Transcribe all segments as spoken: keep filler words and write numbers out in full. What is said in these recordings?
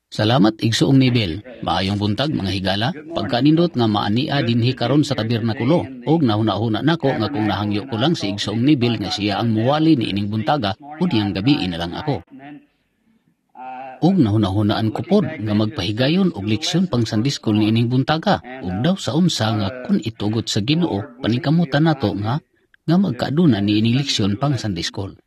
Salamat, Igsoong Neville. Maayong buntag, mga higala. Pagkanindot nga maania dinhi karon sa tabernakulo ug nahuna-huna nako nga kung nahangyo ko lang si Igsoong Neville nga siya ang muwali ni ining buntaga, unyang gabii na lang ako. Ug nahuna-hunaan ko pod nga magpahigayon og leksyon pang Sunday School ni ining buntaga ug daw sa unsa nga kun itugot sa Ginoo, paningkamutan nato nga nga magkaaduna ni ining leksyon pang Sunday School.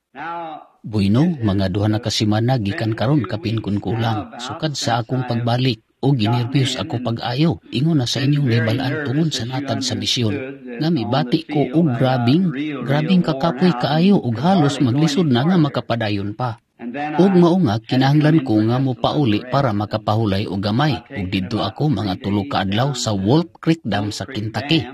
Bueno, mga duha na ka semana gikan karon kapin kun kulang. Sukad sa akong pagbalik o ginerbyos ako pag-ayo. Ingon na sa inyong nahibalaan tungod sa natad sa misyon. Nga mibati ko og grabing, grabing kakapoy kaayo ug halos maglisod na nga makapadayon pa. Ug mao nga kinahanglan ko nga mopauli para makapahulay og gamay ug didto ako mga tulo ka adlaw sa Wolf Creek Dam sa Kentucky.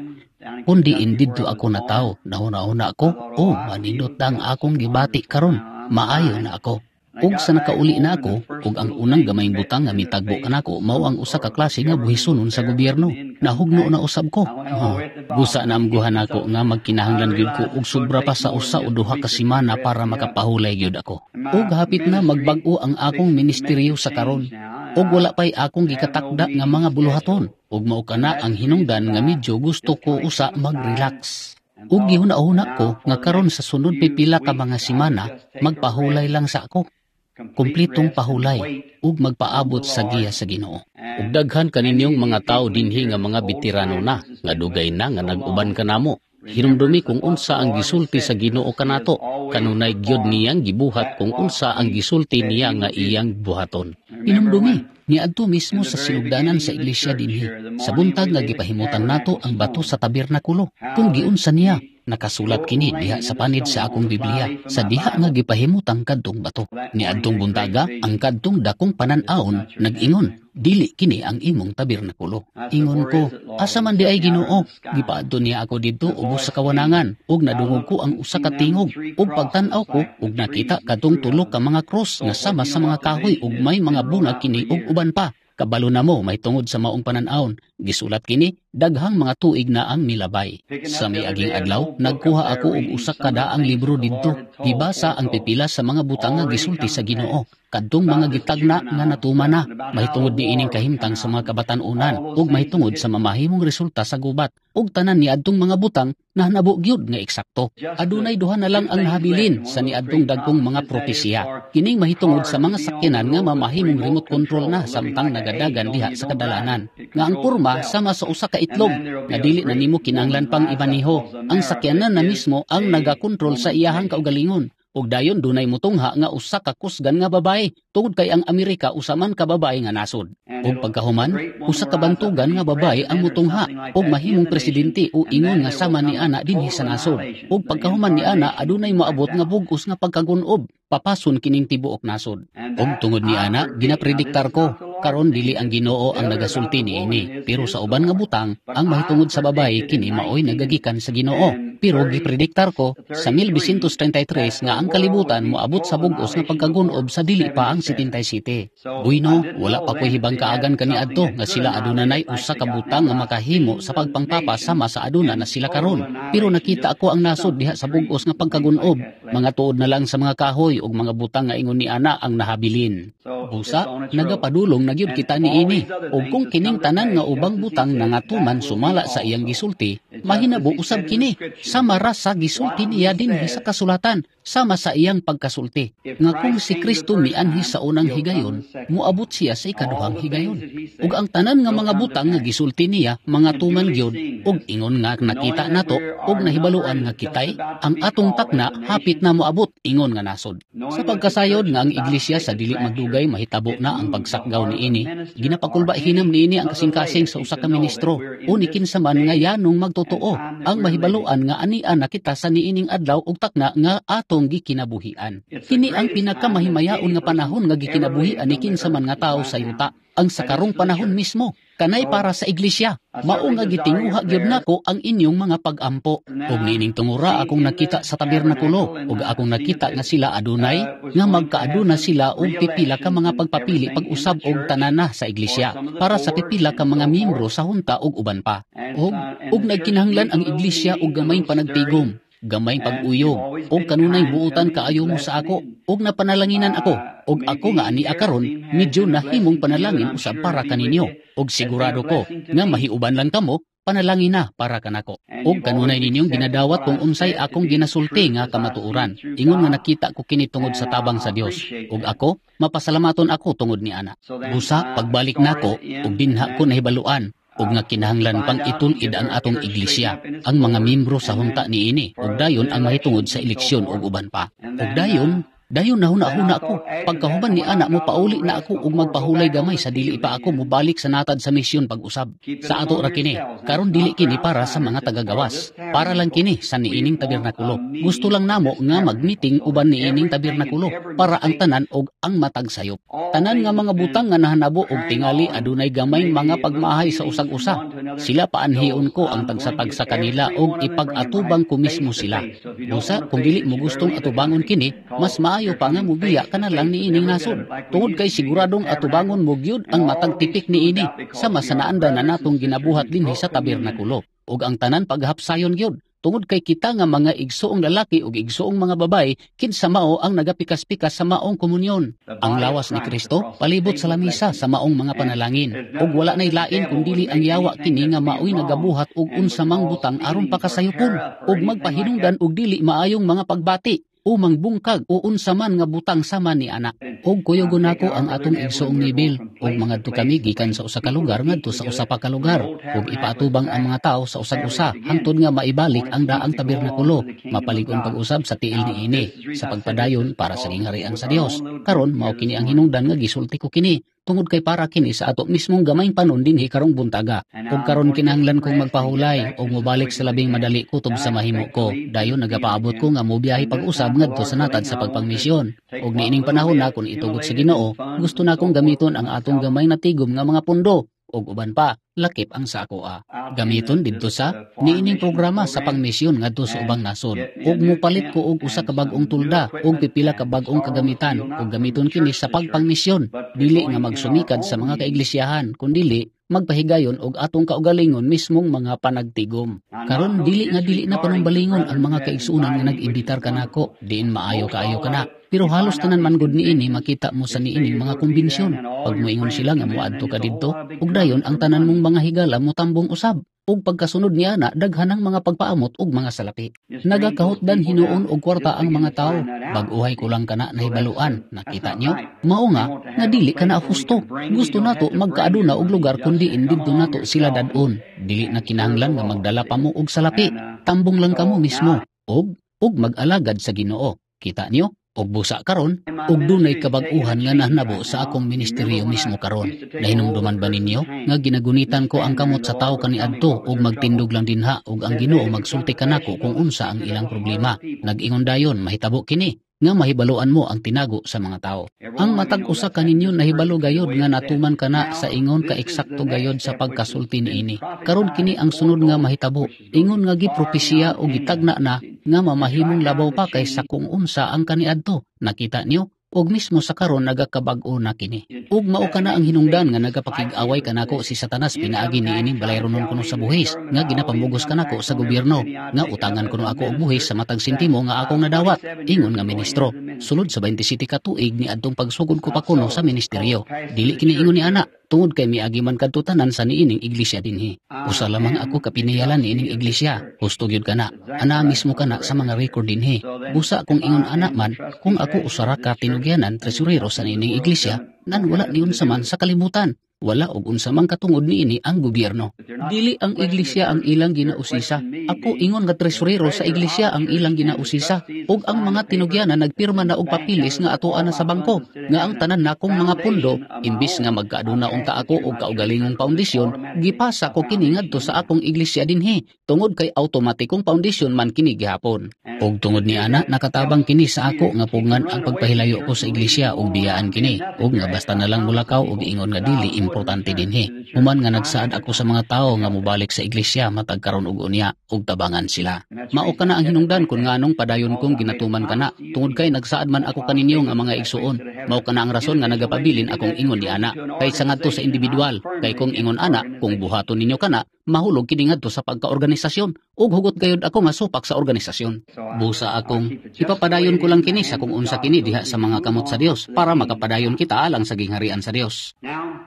Kun diin didto ako natawo, nahuna-huna ko, "Oh, manindot na ang akong gibati karon, maayo na ako." Ug sa nakauli na ako, ug ang unang gamayng butang nga mitagbo kanako mao ang usa ka klase nga buhisonon sa gobyerno. Nahugno na usab ko. Oh, busa naamguhan nako nga magkinahanglan gyud ko og sobra pa sa usa o duha ka semana para makapahulay gyud ako. Ug hapit na magbag-o ang akong ministeryo sa karon. Ug wala pa'y akong gikatakda nga mga buluhaton. Ug mao kana ang hinungdan nga medyo gusto ko usa mag-relax. Ug gihuna-huna ko nga karon sa sunod pipila ka mga semana, magpahulay lang sa ako. Kumplitong pahulay ug magpaabot sa giya sa Ginoo. Ug daghan kaninyong mga tao dinhi nga mga veterano na, nga dugay na nga nag-uban kanamo. Hinumdumi kung unsa ang gisulti sa Ginoo kanato, kanunay gyud niyang gibuhat kung unsa ang gisulti niya nga iyang buhaton. Hinumdumi, niadto mismo sa sinugdanan sa iglesia dinhi, sa buntag nga gipahimutang nato ang bato sa tabernakulo, kung giunsa niya. Nakasulat kini diha sa panid sa akong Biblia, sa diha nga gipahimutang kadtong bato. Niadtong buntaga, ang kadtong dakong panan-awon nag-ingon, "Dili kini ang imong tabernakulo." Ingon ko, "Asa man di ay, Ginoo?" Gipaadto niya ako didto ubos sa kawanangan ug nadungog ko ang usa ka tingog, ug pagtan-aw ko ug nakita kadtong tulo ka mga krus nga sama sa mga kahoy ug may mga bunga kini ug uban pa. Kabalo na mo mahitungod sa maong panan-awon. Gisulat kini, daghang mga tuig na ang milabay. Sa miaging adlaw, nagkuha ako og usa ka daang libro didto. Gibasa ang pipila sa mga butang nga gisulti sa Ginoo. Kadtong mga gitagna nga natuman na, mahitungod ni ining kahimtang sa mga kabatan-unan ug mahitungod sa mamahimong resulta sa gubat. Ug tanan niadtong mga butang nahanabo gyud nga eksakto. Adunay duha na lang ang nahabilin sa niadtong dagkong mga propesiya. Kining mahitungod sa mga sakyanan nga mamahimong remote control na samtang nagadagan diha sa kadalanan. Nga ang porma sama sa usa ka itlog nga dili na nimo kinahanglan pang imaneho. Ang sakyanan na mismo ang nagakontrol sa iyahang kaugalingon. Ug dayon dunay mutungha nga usa ka kusgan nga babae tungod kay ang Amerika usa man ka babae nga nasod. Ug pagkahuman, usa ka bantugan nga babae ang mutungha ug mahimong presidente o ingon nga sama ni ana dinhi sa nasod. Ug pagkahuman ni ana, adunay moabot nga bug-os nga pagkagunob, papason kining tibuok nasod. Ug tungod ni ana, ginaprediktar ko karon, dili ang Ginoo ang nagasulti niini, pero sa uban nga butang ang mahitungod sa babae, kini maoy nagagikan sa Ginoo. Pero giprediktar ko sa mil nobisyentos trentay tres nga ang kalibutan moabot sa bug-os nga pagkagunob sa dili pa ang pitungput siyete. Bueno, wala pa ko'y hibang kaagan kaniadto nga sila adunay usa ka butang nga makahimo sa pagpangpapa sama sa aduna na sila karon. Pero nakita ako ang nasod diha sa bug-os nga pagkagunob. Mga tuod na lang sa mga kahoy ug mga butang nga ingon ni ana ang nahabilin. Busa, nagapadulong na gyud kita niini. Ug kung kining tanan nga ubang butang nangatuman sumala sa iyang gisulti, mahinabo usab kini. Sama ra sa gisulti niya dinhi sa kasulatan, sama sa iyang pagkasulti. Nga kung si Kristo mianhi sa unang higayon, moabot siya sa ikaduhang higayon. Ug ang tanan nga mga butang nga gisulti niya, mga tuman gyud, ug ingon nga nakita nato ug nahibaluan nga kitay ang atong takna hapit na moabot ingon nga nasod. Sa pagkasayod nga ang iglesia sa dili magdugay mahitabo na ang pagsakgaw niini, ginapakulba hinam niini ang kasing-kasing sa usa ka ministro o ni kinsa man nga yanong magtotoo ang mahibaluan nga ania na kita sa niining adlaw ug takna nga atong gikinabuhian. Kini ang pinakamahimayaon nga panahon nga gikinabuhian ni kinsa man nga tawo sa yuta, ang sa karong panahon mismo, kanay para sa iglesia. Mao nga gitinguha gyud nako ang inyong mga pag-ampo. Ug niining tungura akong nakita sa tabernakulo ug akong nakita nga sila adunay nga magkaaduna sila og pipila ka mga pagpapili pag-usab og tanana sa iglesia para sa pipila ka mga miyembro sa hunta ug uban pa. Ug ug nagkinahanglan ang iglesia og gamayng panagtigom. gamayng pag-uyog, ug kanunay buutan kaayo mo sa ako, ug napanalanginan ako, ug ako nga ania karon medyo nahimong panalangin usab para kaninyo, ug sigurado ko nga mahiuban lang kamo, panalangin na para kanako. Ug kanunay ninyong ginadawat kung unsay akong ginasulti nga kamatuoran. Ingon nga nakita ko kini tungod sa tabang sa Dios. Ug ako, mapasalamaton ako tungod ni ana. Busa pagbalik nako ug dinha ko nahibaluan ug nga kinahanglan pang itul-id ang atong iglesia, ang mga membro sa hunta niini, ug dayon ang mahitungod sa eleksyon ug uban pa. Ug dayon Dayon nahuna-huna ko, pagkahuman ni ana mo pauli na ako ug magpahulay gamay sa dili pa ako mobalik sa natad sa misyon pag-usab. Sa ato ra kini, karon dili kini para sa mga tagagawas. Para lang kini sa niining tabernakulo. Gusto lang namo nga mag-meeting uban niining tabernakulo para ang tanan og ang matag sayop. Tanan nga mga butang nga nahanabo og tingali adunay gamay mga pagmahay sa usag-usa. Sila paanhion ko ang tagsa-tagsa kanila og ipag-atubang ko mismo sila. Busa kung dili mo gustong atubangon kini, mas maayo pa nga mubiya ka na lang niining nasod. Tungod kay siguradong atubangon mo gyud ang matag tipik niini sa masanaandan na natong ginabuhat dinhi sa tabernakulo. Ug ang tanan paghapsayon gyud. Tungod kay kita nga mga igsuong lalaki ug igsuong mga babaye, kinsa mao ang nagapikas-pikas sa maong komunyon. Ang lawas ni Kristo palibot sa lamisa sa maong mga panalangin. Ug wala nay lain kun dili ang yawa kini nga maoy nagabuhat og unsa mang butang aron pakasayopon ug magpahinungdan og dili maayong mga pagbati o mangbungkag o unsa man nga butang sama ni ana. Og kuyugon nako ang atong igsoong Neville ug mangadto kami gikan sa usa ka lugar ngadto sa usa pa ka lugar ug ipaatubang ang mga tawo sa usag-usa hangtod nga maibalik ang daang tabernakulo, mapalig-on pag-usab sa tiil niini sa pagpadayon para sa gingharian sa Dios. Karon mao kini ang hinungdan nga gisulti ko kini tungod kay para kini sa ato mismong gamayng panon dinhi karong buntaga. Ug karon kinahanglan kong magpahulay ug mobalik sa labing madali kutob sa mahimo ko. Dayon nagapaabot ko nga mobiyahe pag-usab ngadto sa natad sa pagpangmisyon. Ug niining panahon na kun itugot sa Ginoo, gusto na kong gamiton ang atong gamay na tigom nga mga pundo ug uban pa, lakip ang sa akoa. Gamiton didto sa niining programa sa pangmisyon ngadto sa ubang nasod. Ug mopalit ko og usa ka bag-ong tulda ug pipila ka bag-ong kagamitan ug gamiton kini sa pagpangmisyon. Dili nga magsumikad sa mga kaiglesyahan, kundili magpahigayon og atong kaugalingon mismong mga panagtigom. Karon dili nga dili na panumbalingon ang mga kaigsuonan nga nag-imbitar kanako, diin maayo kaayo kana. Pero halos tanan man gud niini makita mo sa niining mga kumbensyon. Pag moingon sila nga moadto ka didto, ug dayon ang tanan mong mga higala motambong usab. Ug pagkasunod niya na daghan ang mga pagpaamot ug mga salapi. Nagakahutdan hinuon og kwarta ang mga tawo. Bag-uhay ko lang kana nahibaluan. Nakita nyo? Mao nga nga dili kana husto. Gusto nato magkaaduna og lugar kun diin didto nato sila dad-on. Dili na kinahanglan nga magdala pa mo og salapi. Tambong lang kamo mismo og og mag-alagad sa Ginoo. Kita niyo? Og busa karon, og dunay kabag-uhan nga nahnabo sa akong ministeryo mismo karon. Nahinumduman ba ninyo nga ginagunitan ko ang kamot sa tawo kaniadto og magtindog lang dinha og ang Ginoo magsulti kanako kung unsa ang ilang problema? Nag-ingon dayon, mahitabo kini nga mahibaluan mo ang tinago sa mga tao. Ang matag usa kaninyo nahibalo gayod nga natuman kana sa ingon ka eksakto gayod sa pagkasulti niini. Karon kini ang sunod nga mahitabo. Ingon nga gipropesiya o gitagna na nga mamahimong labaw pa kaysa kung unsa ang kaniadto. Nakita niyo? Og mismo sa karon nagakabag-o na kini. Ug mao kana ang hinungdan nga nagapakig-away kanako si Satanas pinaagi niining balayronon kuno sa buhis nga ginapamugos kanako sa gobyerno nga utangan kuno ako og buhis sa matag sentimo nga akong nadawat, ingon nga ministro. Sulod sa twenty-seven ka tuig ni adtong pagsugod ko pa kuno sa ministeryo. Dili kini ingon ni ana tungod kay miagi man kadto tanan sa niining iglesia dinhi. Usa lamang ako kapinayalan niining iglesia. Husto gyud kana. Ana mismo kana sa mga record dinhi. Busa kung ingon ana man, kung ako usara ka tinugyanan tresurero sa niining iglesia, nan wala niun sa man sa kalibutan. Wala og unsa man katungod niini ang gobyerno. Dili ang iglesia ang ilang ginausisa. Ako ingon nga tresurero sa iglesia ang ilang ginausisa. Ug ang mga tinugyanan nagpirma na og papilis nga atoa na sa bangko nga ang tanan nakong mga pundo imbis nga magkaaduna unta ako og kaugalingong paundisyon, gipasa ko kini ngadto sa akong iglesia dinhi tungod kay automatikong paundisyon man kini gihapon. Ug tungod ni ana nakatabang kini sa ako nga pugngan ang pagpahilayo ko sa iglesia ug biyaan kini ug nga basta na lang mulakaw ug ingon nga dili importante dinhi. Human nga nagsaad ako sa mga tawo nga mobalik sa iglesia matag karon ug unya ug tabangan sila. Mao kana ang hinungdan kung nganong padayon kong ginatuman kana, tungod kay nagsaad man ako kaninyo nga mga igsuon. Mao kana ang rason nga nagapabilin akong ingon ni ana, kay sa ngadto sa individual, kay kung ingon ana, kung buhaton ninyo kana, mahulog kini ngadto sa pagkaorganisasyon ug hugot gayud ako nga supak sa organisasyon. Busa akong ipapadayon ko lang kini sa kung unsa kini diha sa mga kamot sa Dios para makapadayon kita alang sa gingharian sa Dios. Now,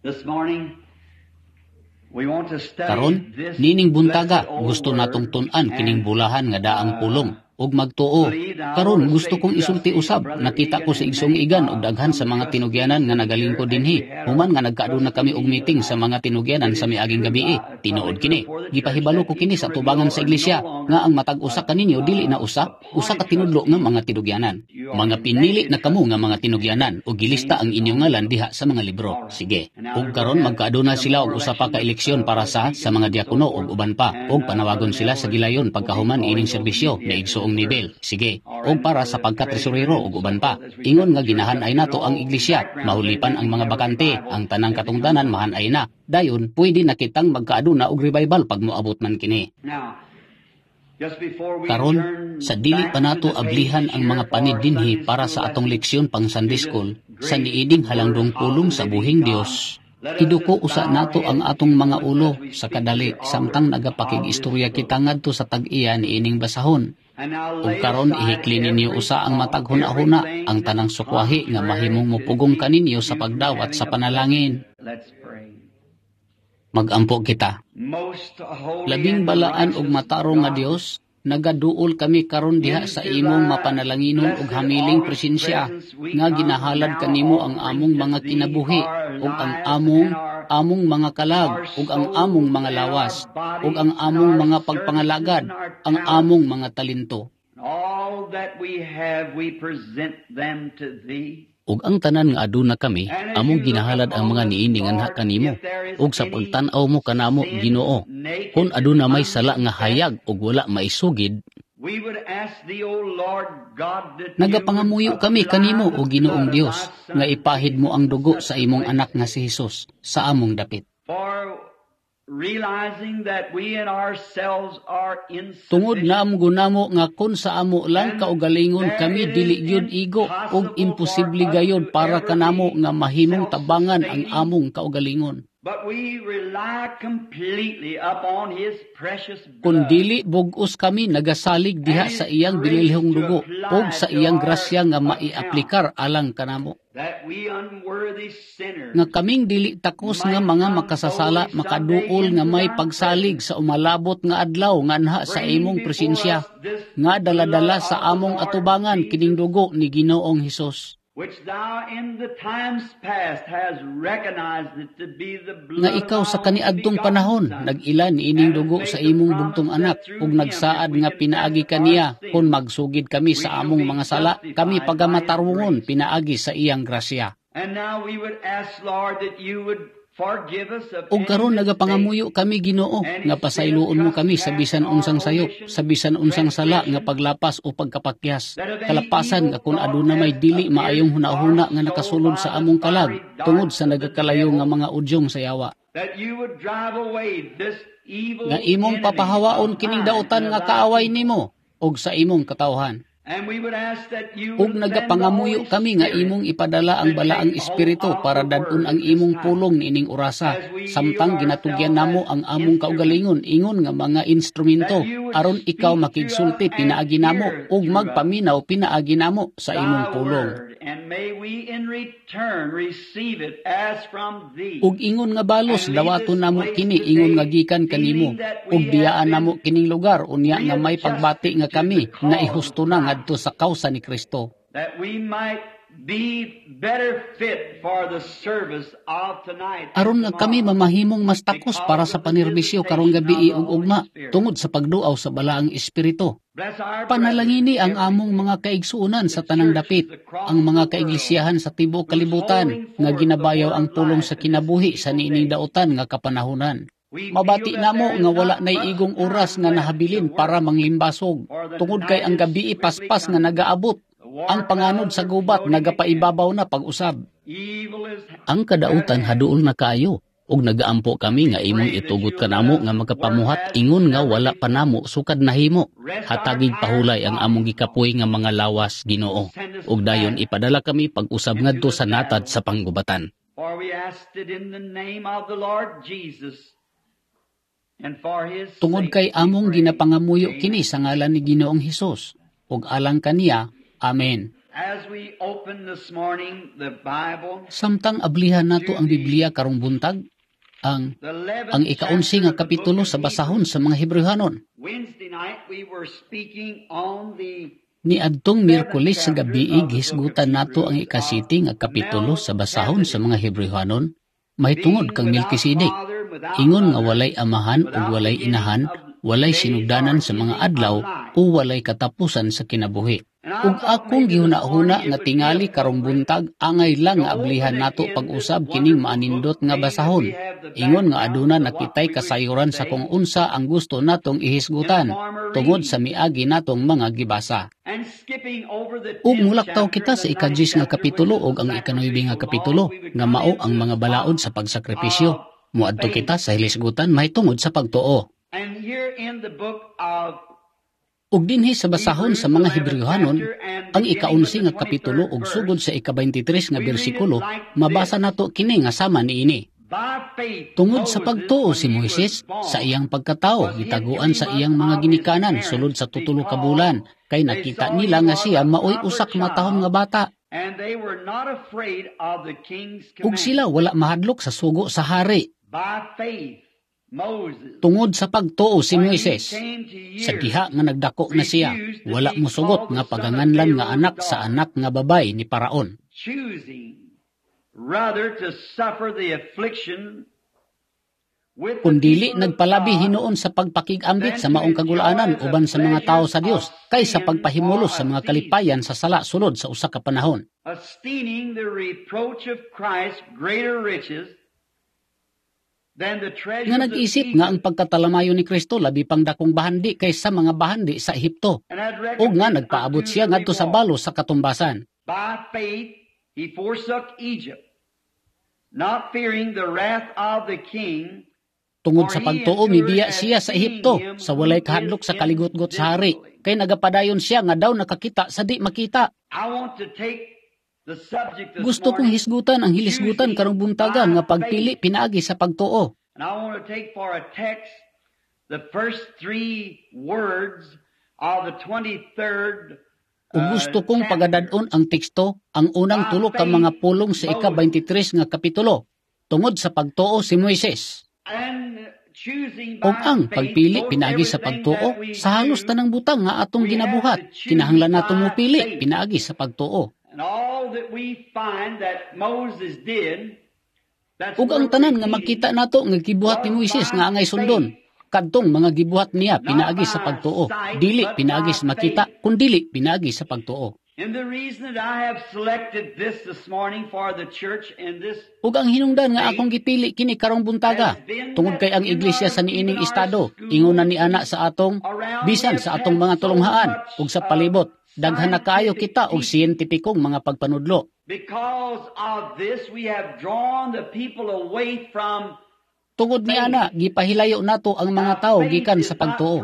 this morning, we want to study Karon, this nining buntaga, blessed old gusto natong word tun-an kining and bulahan nga daang pulong ug magtuo. Karon gusto kong isulti usab, nakita ko sa igsoong Egan og daghan sa mga tinugyanan nga nagalingkod dinhi. Human nga nagkaaduna kami og meeting sa mga tinugyanan sa miaging gabii. Tinuod kini. Gipahibalo ko kini sa tubangan sa iglesia nga ang matag usa kaninyo dili na usa, usa ka tinudlo nga mga tinugyanan. Mga pinili na kamo nga mga tinugyanan ug gilista ang inyong ngalan diha sa mga libro. Sige. Ug karon magkaaduna sila og usa pa ka eleksyon para sa sa mga diakono ug uban pa, ug panawagon sila sa gilayon pagkahuman ining serbisyo ni igsoong Neville. Sige. Ug para sa pagkatresorero ug uban pa. Ingon nga ginahan-ay nato ang iglesia, mahulipan ang mga bakante, ang tanang katungdanan mahan-ay na. Dayon pwede na kitang magkaaduna og revival pag moabot man kini. Now, just before we Karon, turn sa dili back pa to nato the page ablihan ang here mga for panid our dinhi Sunday para school sa atong lesson leksyon pang to Sunday this school, sa great niining word halangdong of pulong the sa living buhing God, Dios, let us iduko just usa bow our nato ang heads a atong few mga moments ulo as we sa speak to kadali the author samtang of this nagapakig-istorya book. kita ngadto sa tag-iya niining basahon. And now Ug lay karon aside ihikli ninyo every usa ang thought, matag huna-huna, everything ang that's tanang sukwahi nga contrary mahimong to mopugong keep kaninyo sa you from pagdawat having sa a blessing. panalangin. Let's pray. Magampo kita. Most holy Labing and balaan ug righteous matarong nga God, Dios, nagaduol kami karon diha sa into imong thy mapanalanginon ug blessed hamiling august presensya presence we nga come ginahalad now kanimo ang offering among to mga thee kinabuhi our ug ang lives among and our among mga kalag our ug ang among souls mga and our lawas ug ang bodies and among our mga services pagpangalagad, and our ang talents. among mga talento. All that we have, we present them to thee. Ug ang tanan nga aduna kami, And as among you look ginahalad ang upon mga us, niini nganha Lord, kanimo. if there is Ug sa any pagtan-aw mo kanamo, sin Ginoo, naked kung and aduna may sala nga unconfessed, hayag ug wala maisugid, we would ask thee, O Lord God, that you would nagapangamuyo kami apply kanimo the o Ginoong blood of Dios thy nga Son ipahid mo Jesus ang in dugo such sa a imong place. Anak nga si Jesus sa among dapit. For realizing that we in ourselves are Tungod insufficient, naamgo namo nga kun sa amo lang and kaugalingon there kami it is dili gyud igo ug impossible for imposible us gayud to para ever kanamo be nga mahimong tabangan ang self-sustaining, among kaugalingon. but we rely completely upon His precious Kun blood dili bug-os kami nagasalig diha and sa His iyang grace binilhong to dugo ug apply sa to iyang our grasya nga account, maiaplikar alang kanamo. that we unworthy sinners Nga kaming dili takos nga might mga come makasasala boldly someday makaduol nga into may thy pagsalig presence, sa umalabot nga adlaw nganha sa bringing imong before presensya us this nga blood daladala sa of the among Lord atubangan kining Jesus, dugo ni Ginoong Hesus, which thou in the times past has recognized it to be the nga blood of ikaw thy sa only kaniadtong begotten panahon Son, nag-ila niining and hast dugo made sa the imong promise bugtong that anak through ug him, if nagsaad we nga confess pinaagi our kaniya kun sins, magsugid kami we sa shall among be mga sala, kami justified by his pagamatarungon grace. pinaagi sa iyang grasya. And now we would ask, Lord, that you would forgive us of Ug any karon mistake, nagapangamuyo kami, Ginoo, any nga sin of pasayloon mo kami sa trespass bisan or unsang sayop, omission, sa bisan unsang sala nga transgression, paglapas o pagkapakyas. that of any Kalapasan evil nga kun thought aduna may has dili maayong appeared our hunahuna nga soul nakasulod by sa the among kalag fiery tungod darts sa of the nagakalayo nga devil, mga udyong sa yawa. that you would drive away this evil Nga imong enemy papahawaon of kining mine dautan and nga of thy kaaway people. nimo ug sa imong katawhan. And we would ask that you Ug would send the nagapangamuyo Holy kami nga Spirit imong ipadala ang to balaang take hold espiritu of para the dad-on word ang at this imong time pulong niining orasa as we yield samtang ginatugyan ourselves namo as ang among instruments, kaugalingon ingon nga mga instrumento that you would aron ikaw speak through us makigsulti and pinaagi namo hear ug through us magpaminaw pinaagi namo sa imong thy pulong. word, and may we in return receive it as from thee, Ug ingon nga balos and leave dawaton this namo place kini ingon nga today gikan kanimo feeling that ug we have biyaan namo been kining lugar unya nga may pagbati readjusted nga to kami the na cause of ihusto na Christ, ngadto sa kawsa ni Kristo. that we might be better fit for the service of tonight and Aron nga kami tomorrow mamahimong mas takos para because sa of the panerbisyo karong visitation gabi of the ug Holy ugma Spirit. tungod sa pagduaw sa balaang espiritu. Bless our brethren Panalangini ang among everywhere, mga kaigsuonan the sa tanang churches dapit, across ang the mga world kaiglisyahan sa tibuok who's kalibutan holding nga forth the ginabayaw word ang of pulong life sa in this kinabuhi sa evil niining day. dautan nga kapanahonan. We feel Mabati that namo there is nga wala not nay much igong oras time nga left to nahabilin para work, manglimbasog for the tungod kay night ang is gabi swiftly paspas nga coming. nagaabot. The war Ang panganod clouds sa are gubat floating again. nagapaibabaw na pag-usab. Evil is Ang kadautan haduol na kaayo ug nagaampo kami nga imong itugot kanamo nga makapamuhat ingon nga wala pa namo sukad nahimo. Hatagig pahulay ang among gikapoy nga mga lawas, Ginoo. Ug dayon ipadala kami pag-usab ngadto sa natad sa panggubatan. For we asked it in the name of the Lord Jesus. And for his Tungod sake kay we among pray. ginapangamuyo Amen. kini sa ngalan ni Ginoong Hesus ug alang kaniya. Amen. As we open this morning the Bible, Samtang ablihan nato ang Biblia karong buntag, ang the eleventh ang ikaunsi nga kapitulo sa basahon sa mga Hebreohanon. Wednesday night we were speaking on the Niadtong Miyerkules sa gabii gihisgutan nato ang ikasiyete nga kapitulo sa basahon sa mga Hebreohanon mahitungod kang Melkisedek. Ingon nga walay amahan ug walay inahan, walay sinugdanan sa mga adlaw o walay katapusan sa kinabuhi. Ug akong gihuna-huna nga tingali karong buntag angay lang nga ablihan nato pag-usab kining maanindot nga basahon. Ingon nga aduna na kitay kasayuran sa kung unsa ang gusto natong ihisgutan tungod sa miagi natong mga gibasa. And skipping over the Ug mulaktaw kita sa ikadiyes nga kapitulo ug ang ikanuebe nga kapitulo nga mao ang mga balaod sa pagsakripisyo. Muadto kita sa hilisgutan mahitungod sa pagtuo. And here in the book of Ug dinhi sa basahon sa mga Hebreohanon, ang ikaunsi nga kapitulo ug sugod sa ika-twenty-three nga bersikulo, mabasa nato kini nga sama niini. By faith, Tungod sa pagtuo si Moises, sa iyang pagkatao, gitaguan sa iyang mga ginikanan sulod sa tutulo ka bulan, kay nakita nila nga siya maoy usa ka matahom nga bata. And they were not afraid of the king's Ug command. sila wala mahadlok sa sugo sa hari. By faith, Moses, Tungod sa pagtuo si when he Moises, came to sa years, diha nga nagdako na siya, wala mosugot nga paganganlan nga anak sa anak nga babay ni Paraon. Choosing rather to suffer the affliction with the Kung dili people of nagpalabi God hinuon sa pagpakig-ambit sa maong kagulaanan uban sa mga tao sa Dios kaysa pagpahimulos sa mga kalipayan sa sala sulod sa usa ka panahon. Esteeming the reproach of Christ greater riches than the treasures Nga of nag-isip nga ang Egypt, pagkatalamayo ni Kristo labi pang dakong bahandi kaysa mga bahandi sa Ehipto. And had Ug nga recompense nagpaabot unto siya the ngadto sa reward. balos sa katumbasan. By faith he forsook Egypt, not fearing the wrath of the king, Tungod sa pagtuo mibiya siya sa Ehipto sa walay kahadlok sa kaligutgot sa hari kay nagapadayon siya nga daw nakakita sa di makita. I want to take the subject this Gusto kong morning, hisgutan ang hilisgutan karong buntaga nga pagpili pinaagi sa pagtuo. And I want to take for a text the first three words of the twenty-third Ug gusto kong pagadad-on ang teksto ang unang tulo ka mga pulong sa ika-twenty-three nga kapitulo. Tungod sa pagtuo si Moises. And choosing Ug ang pagpili pinaagi sa pagtuo sa halos tanang butang nga atong ginabuhat, kinahanglan nato mopili pinaagi sa pagtuo. And all that we find that Moses did, that's Ug ang tanan nga makita nato nga gibuhat ni Moises nga angay sundon, kadtong mga gibuhat niya pinaagi sa pagtuo, dili pinaagi sa makita, kundili pinaagi sa pagtuo. And the reason that I have selected this this morning for the church in this Ug ang hinungdan nga akong gipili kini karong buntaga, tungod kay ang iglesia sa niining estado, ingon na ni ana sa atong bisan sa atong mga tulunghaan ug sa palibot, daghan na kaayo kita og siyentipikong mga pagpanudlo. Because of this we have drawn the people away from Tungod ni ana, gipahilayo nato ang mga tao gikan sa pagtuo.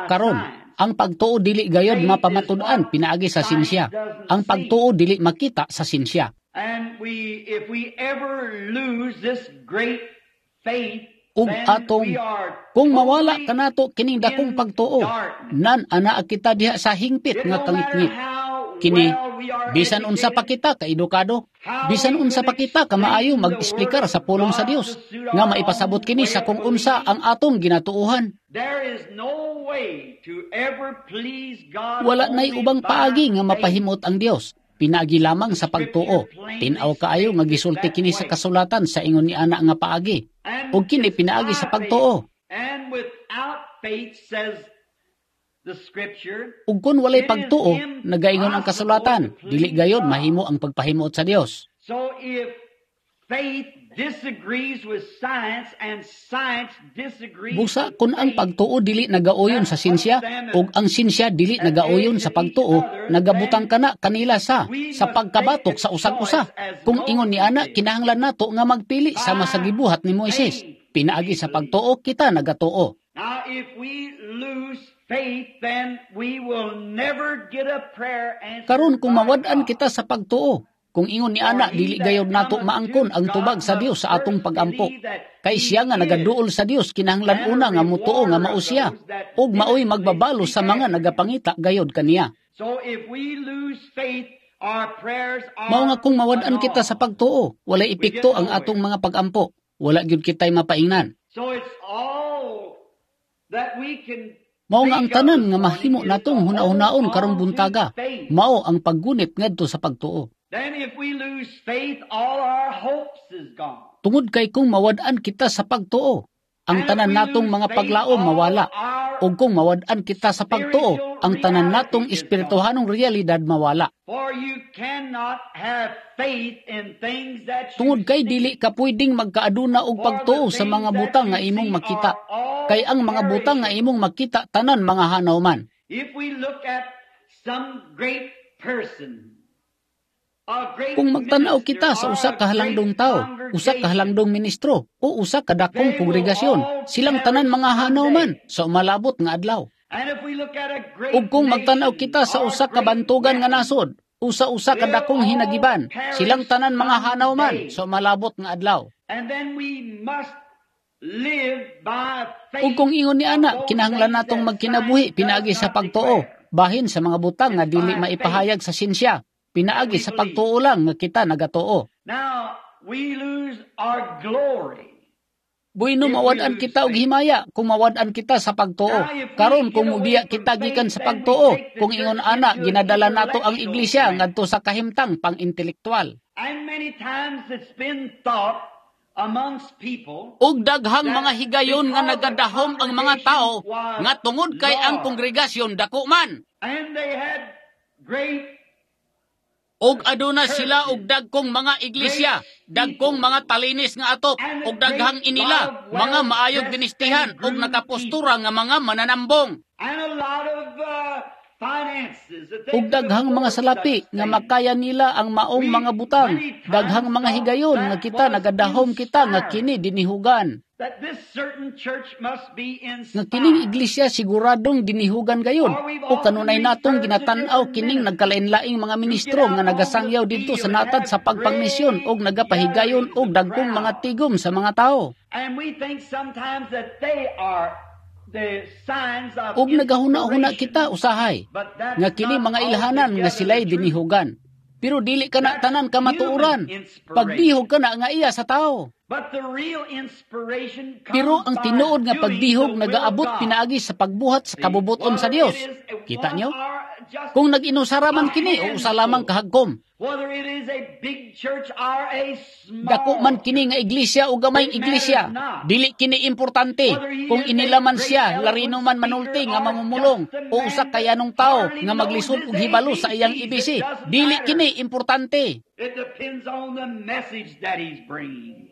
Karon, ang pagtuo dili gayod mapamatud-an pinaagi sa sinsya. Ang pagtuo dili makita sa sinsya. And we if we ever lose this great faith, Ug atong kung mawala kanato kining dakong pagtuo, nan anaa kita diha sa hingpit nga kangitngit. Kini bisan unsa pa kita ka edukado, bisan unsa pa kita ka maayo mag-esplikar sa pulong sa Dios, nga maipasabot kini sa kung unsa ang atong ginatuohan. There is no way to ever please God Wala nay ubang paagi nga mapahimot ang Dios. Pinaagi lamang sa pagtuo. Tin-aw kaayo nga gisulti kini sa kasulatan sa ingon ni ana nga paagi. Ug kini pinaagi sa pagtuo. And without faith, says the scripture, Ug kun walay pagtuo, nagaingon ang kasulatan, dili gayod mahimo ang pagpahimot sa Dios. So if faith disagrees with science and science disagrees Busa with kung ang faith, pagtuo dili nagaoyon sa sinsya ug ang sinsya dili nagaoyon sa pagtuo, nagabutang kana kanila sa sa pagkabatok sa usag-usa. Kung ingon ni ana, kinahanglan nato nga magpili sama sa gibuhat ni Moises. Pinaagi sa pagtuo kita nagatuo. Now, if we lose faith, then we will never get a prayer answered Karon kung by mawad-an God. kita sa pagtuo, kung ingon ni ana dili gayod nato maangkon ang tubag sa Dios sa atong pagampo. Kay siya nga nagaduol sa Dios kinahanglan una nga mutuo nga mao siya ug maoy magbabalo sa mga nagapangita gayod kaniya. So if we lose faith, our prayers are Mao nga kung mawad-an kita sa pagtuo, walay epekto ang atong mga pagampo. Wala gyud kitay mapaingnan. So it's all that we can Mao nga ang tanan nga mahimo natong huna-hunaon karong buntaga, mao ang paggunit ngadto sa pagtuo. Then if we lose faith, all our hopes is gone. Tungod kay kung mawad-an kita sa pagtuo, ang tanan natong mga paglaom mawala. Ug kung mawad-an kita sa pagtuo, ang tanan natong espirituhanong realidad mawala. For you cannot have faith in things that you Tungod kay see. dili ka pwedeng magkaaduna og pagtuo sa mga butang nga imong makita. Kay ang mga butang nga imong makita tanan mga hanaw man. If we look at some great person, a great Kung magtan-aw kita sa minister usa or ka a halangdong great tawo, usa ka halangdong ministro o usa ka dakong kongregasyon, silang tanan mga hanaw man sa umalabot nga adlaw. And if we look at a great Ug kung magtan-aw kita sa usa ka bantugan nga nasod, usa-usa ka dakong hinagiban, silang tanan mga hanaw man sa umalabot nga adlaw. And then we must live by faith. Ug kung ingon ni ana, kinahanglan natong magkinabuhi pinaagi sa pagtuo, bahin sa mga butang nga dili maipahayag sa sinsya. Pinaagi sa pagtuo lang nga kita nagatuo. Now, we lose our glory. Bueno, mawad-an kita og himaya kung mawad-an kita sa pagtuo. Karon kung mubiya kita gikan sa pagtuo, kung ingon ana ginadala nato ang iglesia ngadto sa kahimtang pang-intelektual. And many times it's been thought amongst people Ug daghang mga higayon nga nagadahom ang mga tao nga tungod kay ang kongregasyon dako man. and they had great Ug aduna sila og dagkong mga iglesia, dagkong mga talinis nga atop, ug daghang inila, mga maayog binistihan ug nakapostura nga mga mananambong. and a lot of uh, finances that they Ug daghang mga salapi nga makaya nila ang maong mga butang, daghang mga higayon nga kita nagadahom kita nga kini dinihugan. that this certain church must be Nga kining inspired. iglesia siguradong dinihugan gayon. O kanunay natong ginatan-aw kining nagkalain-laing mga ministro nga nagasangyaw didto sa natad sa pagpangmisyon og nagapahigayon og dagkong mga tigom sa mga tao. And we think sometimes that they are the signs of Ug nagahuna-huna inspiration. kita usahay nga kini mga ilhanan nga sila'y dinihugan. Pero dili kana tanan kamatuoran. Pagdihog kana nga iya sa tao. But the real inspiration comes Pero ang by tinuod nga doing pagdihog the will nagaabot of God. pinaagi sa pagbuhat sa kabubuton sa Dios. Kita nyo? Kung nag-inusara man kini o usa lamang kahagkom, Whether it is a big church or a small dako man kini nga iglesia o gamayng iglesia, dili kini importante kung inila man siya, larino man manulti nga mamumulong o usa kayanong tao nga maglisod og hibalo sa iyang A B C, dili kini importante. It depends on the message that he's bringing.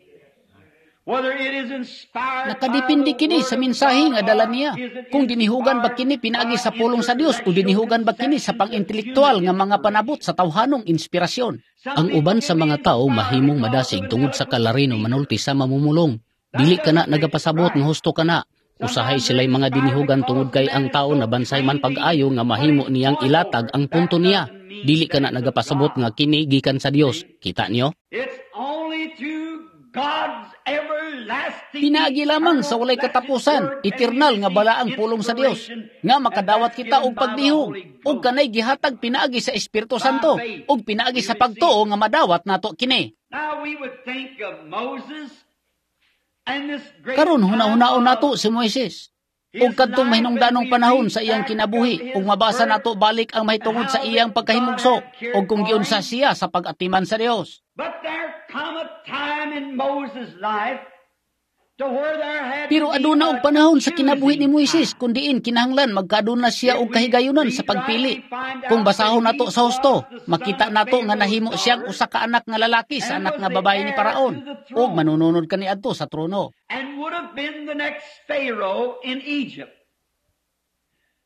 Whether it is inspired Nakadepende kini sa mensahe nga dala niya. Kung dinihugan ba kini pinaagi sa pulong sa Dios o dinihugan ba kini sa pang-intelektual nga mga panabot sa tawhanong inspirasyon. Ang uban sa mga tao mahimong madasig tungod sa kalarino manulti sa mamumulong. Dili kana nagapasabot nga husto kana. Usahay sila'y mga dinihugan tungod kay ang tao nabansay man pag-ayo nga mahimo niyang ilatag ang punto niya. Dili kana nagapasabot nga kini gikan sa Dios. Kita niyo? It's only through God's everlasting Pinaagi lamang sa walay katapusan, eternal nga balaang pulong sa Dios, nga makadawat kita og pagdihog, ug kanay gihatag pinaagi sa Espiritu Santo, ug pinaagi sa pagtuo nga madawat nato kini. Now we would think of Moses and this great Karon huna-hunaon nato si Moises. Ug kadtong mahinungdanong panahon sa iyang kinabuhi, ug mabasa nato balik ang mahitungod sa iyang pagkahimugso, ug kung giunsa siya sa pag-atiman sa Dios. But there come a time in Moses' life To where there had Pero to be aduna a og panahon sa kinabuhi ni choosing Moises time. Kun diin kinahanglan magkaaduna siya If og we kahigayunan sa read right, pagpili. we find Kung out that basahon he nato sa was husto, the son makita of nato nga Pharaoh's nahimo siyang daughter usa ka anak nga lalaki sa and anak was nga the babae ni heir Paraon to the ug throne manununod kaniadto sa trono. And would have been the next Pharaoh in Egypt.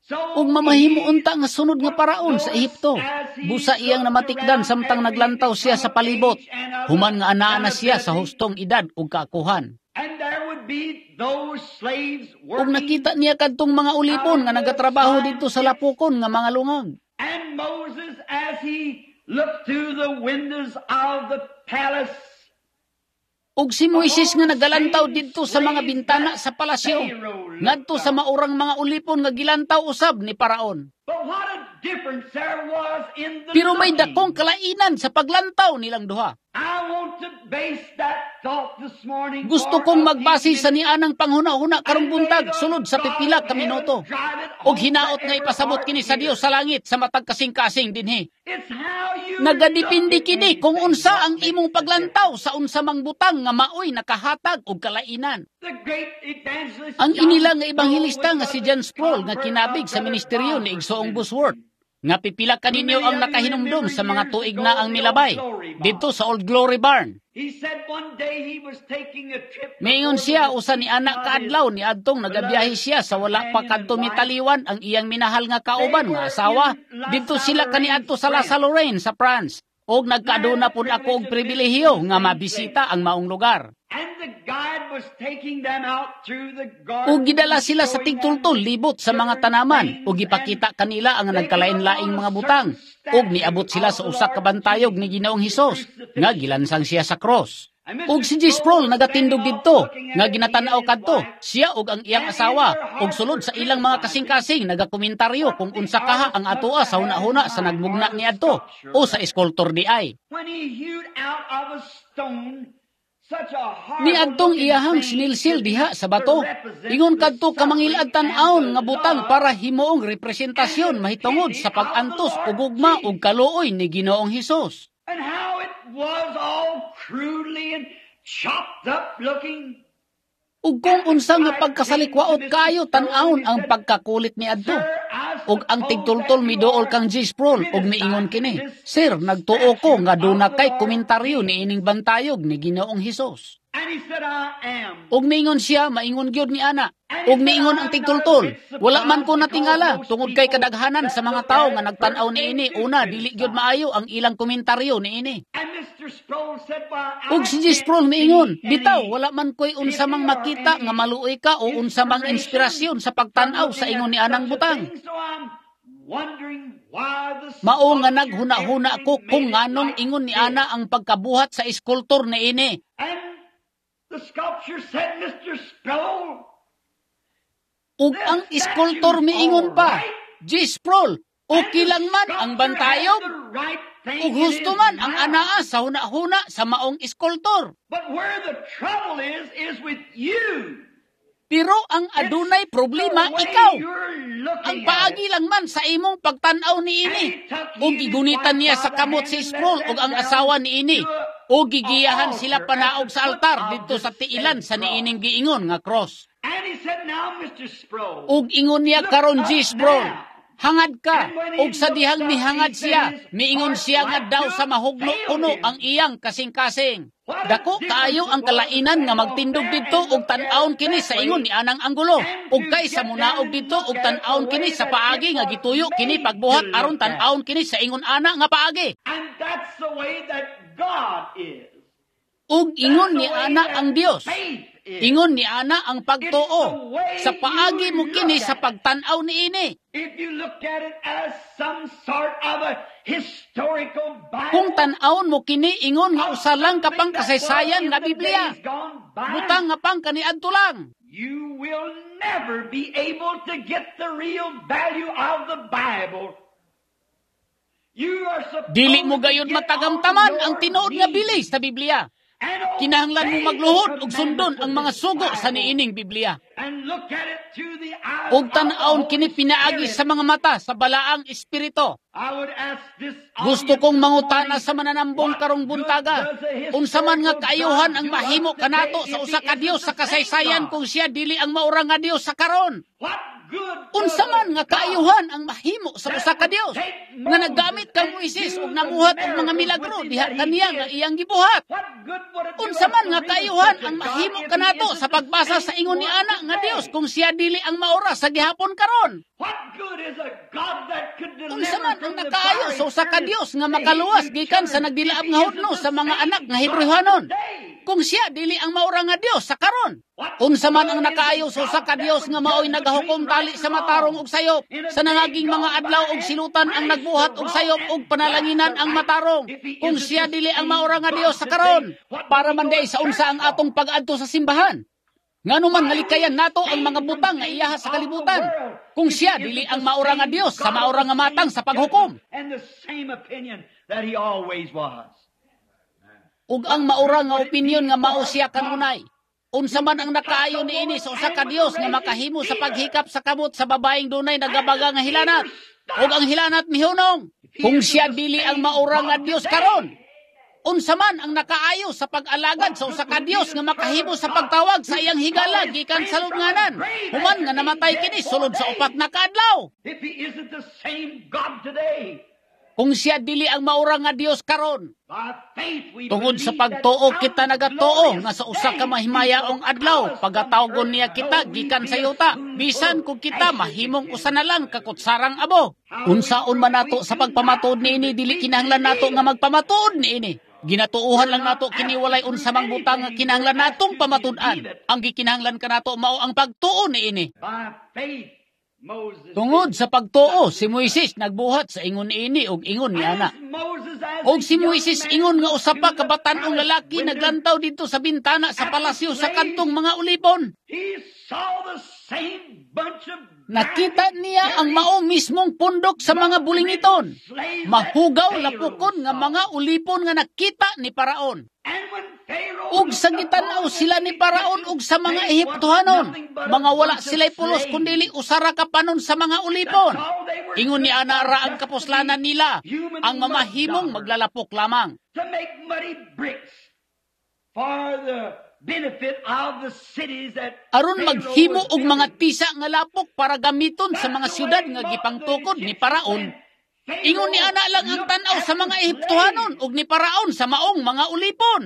So Ug mamahimo he unta nga sunod nga would paraon sa notice Ehipto. as he Busa iyang looked namatikdan around samtang after he naglantaw siya become sa of palibot. age and of Human nga anaa na siya sa accountability, hustong edad ug kaakuhan. and there would be those slaves Ug working nakita niya kadtong mga out ulipon in nga the nagatrabaho swine didto sa pits. Lapukon nga mga lungag. And Moses, as he looked through the windows of the palace, Ug si Moises upon nga the nagalantaw same didto sa mga slaves bintana that sa palasyo, Pharaoh looked ngadto sa on. maurang mga ulipon nga gilantaw usab ni Paraon. But what a difference there was in the Pero may dakong looking. kalainan sa paglantaw nilang duha. I want to base that thought this morning Gusto for kong a few magbase sa minutes. nianang panghuna-huna karong And may buntag the sulod sa God pipila of ka heaven minuto. drive it Ug home to hinaot nga every ipasabot heart kini sa here. Dios sa langit sa matag kasing-kasing dinhi. It's how you look Nagadepende at kini kung anything unsa what ang makes imong the difference. paglantaw sa unsa mang butang nga maoy nakahatag og kalainan. The great evangelist Ang John inila nga Sproul, ebanghelista which nga was si a John Sproul nga convert of kinabig sa Brother ministeryo ni Bosworth's Igsoong Bosworth ministry. Nga pipila Who kaninyo many ang of you nakahinumdom remember sa mga years tuig ago na ang the Old milabay Glory didto Barn. sa Old Glory Barn. He said one day he was taking a trip Miingon before the siya usa ni deceased anak of his kaadlaw ni adtong nagabiyahe beloved siya sa wala pa companion and kadto wife. mitaliwan ang iyang minahal nga They kauban nga were asawa. in La Didto sila Lorraine, kaniadto sa La France. Lorraine sa France. Og And I had nagkaaduna the pud ako privilege og of visiting pribilehiyo the nga same place. mabisita ang maong lugar. And the guide was taking them out through the Ug gardens gidala and sila sa showing them tigtultol libot sa mga different tanaman ug things. And gipakita kanila ang they came upon nagkalain-laing a mga butang. certain Ug statue niabot sila of sa the usa ka Lord bantayog ni Jesus, Ginoong the Hesus nga crucifixion. gilansang siya sa cross. And Ug Mister si J. Sproul Sproul was standing nagatindog off didto looking nga at it, he and ginatan-aw his kadto wife, siya ug ang iyang and in asawa their ug hearts sulod were sa ilang mga criticizing kasing-kasing nagakomentaryo what kung the unsa kaha artist ang must atoa have sa had in hunahuna sa mind, or nagmugna the niadto sculpture o sa rather. eskultor di ay. When he hewed out of a stone such a horrible Niadtong looking iyahang thing sinilsil to be diha sa to bato. represent Ingon the kadto suffering kamangilad and tan-awon the nga butang love para himuong and representasyon the mahitungod pity sa of the pag-antos Lord ug gugma ug Jesus. kaluoy ni Ginoong Hesus. And how it was all crudely and chopped up looking. Ug kung And the unsa nga guide came to pagkasalikwaot Mister kaayo Sproul and tan-awon he ang said, pagkakulit niadto. "Sir, I Ug ang suppose tigtultol that you miduol are kang J. Sproul ug miingon criticizing kini, this "Sir, nagtuo ko statue nga of duna the kay Lord komentaryo Jesus." niining bantayog ni Ginoong Hesus." And he said, "I am." Ug miingon siya, maingon gyud ni ana. And he Ug said, miingon ang "I'm not a tigtultol, bit "Wala man surprised ko because natingala most tungod kay people kadaghanan sa that mga look tawo at nga it nagtan-aw first, they niini do una dili gyud criticize." maayo ang ilang komentaryo niini." And Mister Sproul said, "Well, Ug I si J. can't Sproul miingon, see "Bitaw, any wala man ko'y unsa pity mang or makita nga any maluoy ka o unsa mang inspiration inspirasyon sa from pagtan-aw sa looking ingon at ni anang such a butang. thing, so I'm wondering why the Mao nga sculpture naghuna-huna ever ko kung made it nganong like ingon ni this." ana ang pagkabuhat sa eskultor niini." And the sculpture said, "Mister Sproul, Ug this ang eskultor statue's miingon all pa, right." "J. Sproul, And okay the lang man ang sculpture had bantayog. the right thing Ug in husto his man ang mouth. anaa sa huna-huna sa maong eskultor. But where the trouble is, is with you. Pero ang It's adunay the problema way ikaw. you're Ang looking at paagi it." lang man sa imong pagtan-aw And niini." he took Ug he and his gigunitan wife niya by sa the kamot hand si and led Sproul ug them ang down asawa niini. to a, Ug a gigiyahan sila altar at panaog the sa foot altar of didto the sa tiilan said sa cross. niining giingon nga cross. And he said, "Now, Mister Sproul, Ug ingon niya look karon up G. Sproul, now." hangad ka. And when he Ug sa looked dihang up, he mihangad said siya, his miingon heart siya nga like daw to sa mahugno failed kuno him. ang iyang kasing-kasing. What a Dako difference kaayo it ang was to kalainan nga stand off magtindog there didto and ug look at tan-awon it kini that sa ingon way ni anang anggulo. and Ug to kay sa get down munaog and didto look ug at it the tan-awon kini way sa that it paagi nga was gituyo kini made to pagbuhat aron look at. tan-awon kini sa ingon ana nga paagi. And that's the way that God is. Ug That's ingon the ni way ana that ang Dios. faith is. Ingon ni ana ang It's the pagtuo. way Sa paagi you mo kini look sa at it. pagtan-aw niini. If you look at it as some sort of a historical Kung Bible tan-awon mo kini ingon nga of usa lang ka something pang that was kasaysayan in nga the Biblia. days gone by, Butang nga pang kaniadto lang. you will never be able to get the real value of the Bible. You are Dili mo supposed to gayon get on matagamtaman ang your tinuod nga knees bilis sa Biblia. Kinahanglan mo magluhod ug sundon ang mga sugo sa niining Biblia. Ug tan-awon kini pinaagi sa mga mata sa Balaang Espiritu. Gusto kong mangutana sa mananambong karong buntaga, unsa man nga kaayuhan ang mahimo kanato sa usa ka Dios sa kasaysayan kung siya dili ang maura nga Dios sa karon? Unsa man nga kaayuhan ang mahimo sa usa ka Dios nga naggamit kang Moises ug namuhat og mga milagro diha kaniya nga iyang gibuhat? Unsa man nga kaayuhan ang mahimo kanato sa pagbasa sa ingon ni ana nga Dios kung siya dili ang maura sa gihapon karon? Unsa man ang nakaayo sa usa ka Dios nga makaluwas gikan sa nagdilaab nga hudno sa mga anak nga Hebreohanon kung siya dili ang maura nga Dios sa karon? Unsa man ang nakaayo sa usa ka Dios nga maoy nagahukom tali sa matarong ug sayop sa nangaging mga adlaw ug silutan ang nagbuhat og sayop ug panalanginan ang matarong kung siya dili ang maura nga Dios sa karon? Para man diay sa unsa ang atong pag-adto sa simbahan? Ngano man nga likayan nato ang mga butang nga iyaha sa kalibutan kung siya dili ang maura nga Dios sa maura nga matang sa paghukom? Ug ang maura nga opinyon nga mao siya kanunay. Unsa man ang nakaayo niini sa usa ka Dios nga makahimo sa paghikap sa kamot sa babaeng dunay nagabaga nga hilanat ug ang hilanat mihunong kung siya dili ang maura nga Dios karon? Unsa man ang nakaayo sa pag-alagad sa usa ka Dios nga makahimo sa pagtawag sa iyang higala gikan sa lubnganan human nga namatay kini sulod sa upat na kaadlaw? Kung siya dili ang maura nga Dios karon, tungod sa pagtuo kita nagatuo nga sa usa ka mahimayaong adlaw pagatawgon niya kita gikan sa yuta, bisan kung kita mahimong usa na lang kakutsarang abo. Unsaon man nato sa pagpamatuod niini, dili kinahanglan nato nga magpamatuod niini. Ginatuohan lang nato kini walay unsa mang butang nga kinahanglan natong pamatud-an. Ang gikinahanglan kanato mao ang pagtuo niini. Tungod sa pagtuo, si Moises nagbuhat sa ingon niini og ingon ni ana. Og si Moises ingon nga usa pa ka batan-ong lalaki naglantaw didto sa bintana sa palasyo sa kadtong mga ulipon. Nakita niya ang mao mismong pundok sa mga bulingiton, mahugaw lapukon nga mga ulipon nga nakita ni Paraon. Ug sa gitan-aw sila ni Paraon ug sa mga Ehiptohanon, mga wala sila'y pulos kundili usara ka panon sa mga ulipon. Ingon ni ana ra ang kapuslanan nila, ang mamahimong maglalapok lamang. Aron maghimo og mga tisa nga lapok para gamiton sa mga syudad nga gipangtukod ni Paraon. Ingon ni ana lang ang tan-aw sa mga Ehiptohanon ug ni Paraon sa maong mga ulipon.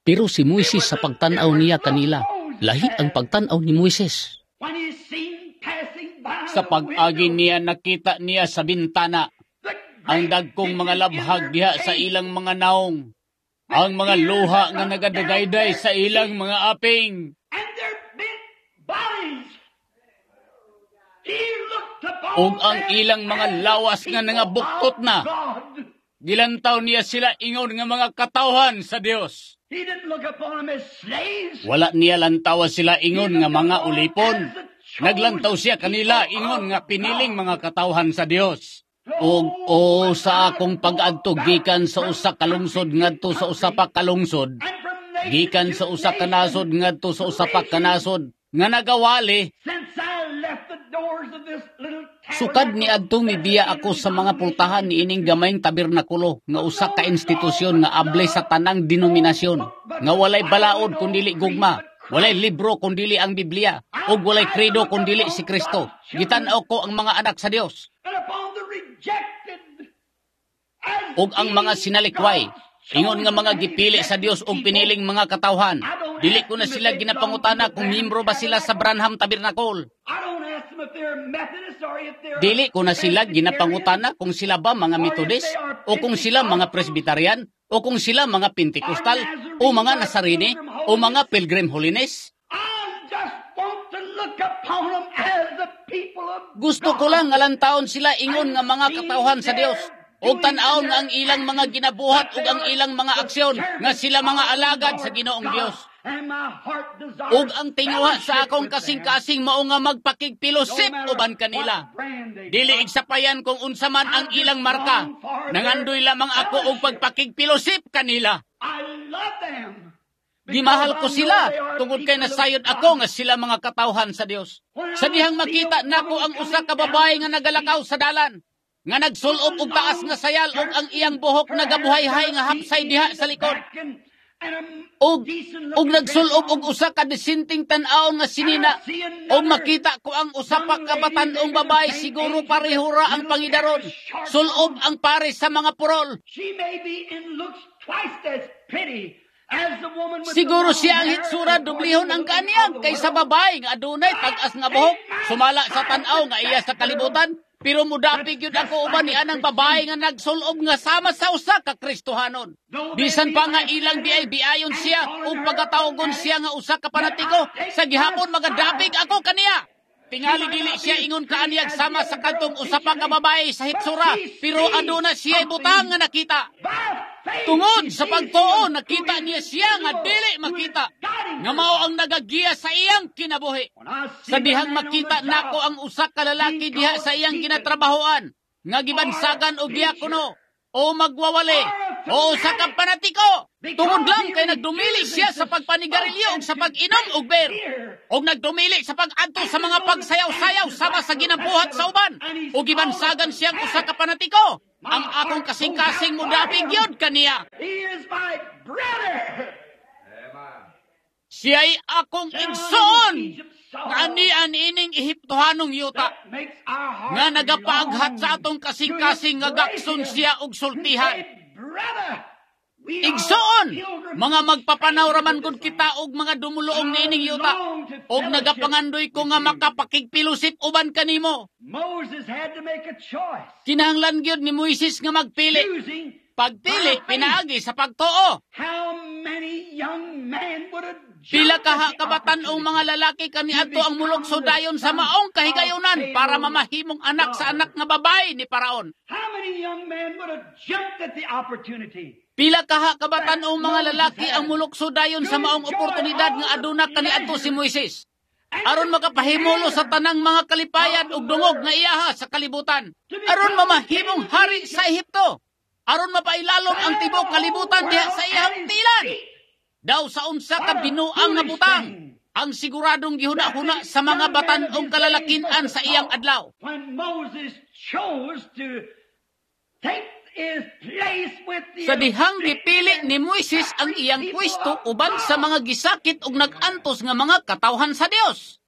Pero si Moises sa pagtan-aw niya kanila, lahi ang pagtan-aw ni Moises. Sa pag-agi niya nakita niya sa bintana ang dagkong mga labhag diha sa ilang mga naong, ang mga luha nga nagadagayday sa ilang mga aping. Ug ang ilang mga lawas nga nangabuktot na. Gilantaw niya sila ingon nga mga katawhan sa Dios. Wala niya lantawa sila ingon nga mga ulipon. Naglantaw siya kanila ingon nga piniling mga katawhan sa Dios. Ug o sa akong pag-adto gikan sa usa ka lungsod ngadto sa usa pa ka lungsod, gikan sa usa ka nasod ngadto sa usa pa ka nasod nga nagawali. Sukad ni adtong mibiya ako sa mga pultahan niining gamayng tabernakulo nga usa ka institusyon nga able sa tanang denominasyon, nga walay balaod kun dili gugma, walay libro kun dili ang Biblia, ug walay credo kun dili si Kristo. Gitan-aw ko ang mga anak sa Dios ug ang mga sinalikway, ingon nga mga gipili sa Dios ug piniling mga katawhan. Dili ko na sila ginapangutana kung miyembro ba sila sa Branham Tabernacle. Dili ko na sila ginapangutana kung sila ba mga Methodist o kung sila mga Presbyterian o kung sila mga Pentecostal o mga Nazarene o mga Pilgrim Holiness. Gusto ko lang nga lantaon sila ingon nga mga katawhan sa Dios ug tan-awon nga ang ilang mga ginabuhat ug ang ilang mga aksyon nga sila mga alagad sa Ginoong Dios. Ug ang tinguha sa akong kasing-kasing mao nga magpakigpilosip uban kanila. Dili igsapayan kung unsa man ang ilang marka. Nangandoy lamang ako og pagpakigpilosip kanila. Gimahal ko sila tungod kay nasayod ako nga sila mga katawhan sa Dios. Sa dihang makita nako ang usa ka babae nga nagalakaw sa dalan, nga nagsulob og taas nga sayal ug ang iyang buhok nagabuhay-hay nga hapsay diha sa likod. Og og nagsulob og usa ka desenting tan-awon nga sinina, og makita ko ang usa pa ka batan-ong babae, siguro pareho ra ang pangidaron. Sulob ang pare sa mga purol. Siguro siya ang hitsura dublihon ang kaniyang kaysa babae nga adunay tag-as nga buhok, sumala sa tan-aw nga iya sa kalibutan. Pero mudapig yun ako uban ni anang babae nga nagsulob nga sama sa usa ka Kristohanon. Bisan pa nga ilang diay biayon siya ug pagatawagon siya nga usa ka panatiko, sa gihapon magadapig ako kaniya. Tingali dili siya ingon kaaniyag sama sa kadtong usa pa ka babae sa hitsura, pero aduna siya butang nga nakita. Tungod sa pagtuo, nakita niya siya nga dili makita, nga mao ang nagagiya sa iyang kinabuhi. Sa dihang makita nako ang usa ka lalaki diha sa iyang ginatrabahoan, nga gibansagan og diakono, o magwawali, o usa ka panatiko. Tungod lang kay nagdumili siya sa pagpanigarilyo ug sa pag-inom og beer, og nagdumili sa pag-adto sa mga pagsayaw-sayaw sama sa ginabuhat sa uban, ug gibansagan siyang usa ka panatiko. Ang akong kasing-kasing mudapig yun kaniya. Siya'y akong igsoon nga anian ining Ehiptohanong yuta, nga nagapaaghat sa atong kasing-kasing nga gakson siya og sultihan. Igsoon, mga magpapanaw raman gud kita og mga dumuluong niining yuta, og nagapangandoy ko nga makapakigpilusip uban kanimo. Kinahanglan gyud ni Moises nga magpili. Pagpili, pinaagi sa pagtuo. Pila kaha kabatan-ong mga lalaki kaniadto ang mulukso dayon sa maong kahigayunan para mamahimong anak sa anak nga babae ni Paraon. Pila kaha kabatan-ong mga lalaki ang mulukso dayon sa maong oportunidad nga aduna kaniadto si Moises, aron makapahimulo sa tanang mga kalipayan ug dungog nga iyaha sa kalibutan, aron mamahimong hari sa Ehipto, aron mapailalom ang tibuok kalibutan diha sa iyang tilan. Daw sa unsa ka binuang nga butang ang siguradong gihuna-huna sa mga batan-ong kalalakinan sa iyang adlaw. Sa dihang gipili ni Moises ang iyang pwesto uban sa mga gisakit ug nag-antos nga mga katawhan sa Dios.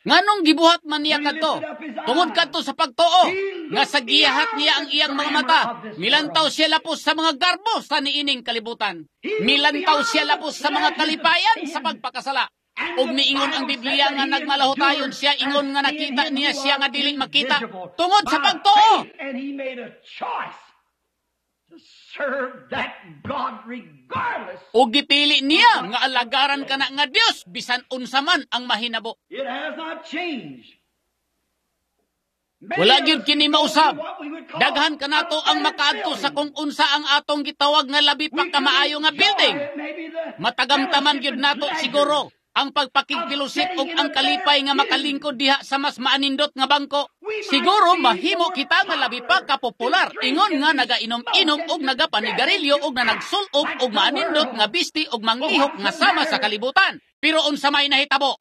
Nganong gibuhat man niya kadto? Tungod kadto sa pagtuo, nga sa giyahat niya ang iyang mga mata, milantaw siya lapos sa mga garbo sa niining kalibutan. Milantaw siya lapos sa mga kalipayan sa pagpakasala. Ug niingon ang Biblia nga nagmalahotayon siya, ingon nga nakita niya siya nga dili makita tungod sa pagtuo. Ug gipili niya nga alagaran kana nga Dios bisan unsa man ang mahinabo. Wala gyud kini mausab. Daghan kanato ang makaadto sa kung unsa ang atong gitawag nga labi pa kamaayo nga building. Matagamtaman gyud nato siguro ang pagpakigpilusip ug ang kalipay nga makalingkod diha sa mas maanindot nga bangko. Siguro mahimo kita nga labi pa kapopular, ingon nga nagainom-inom og nagapanigarilyo og nanagsul-ob og maanindot nga bisti og manglihok nga sama sa kalibutan. Pero unsa may nahitabo?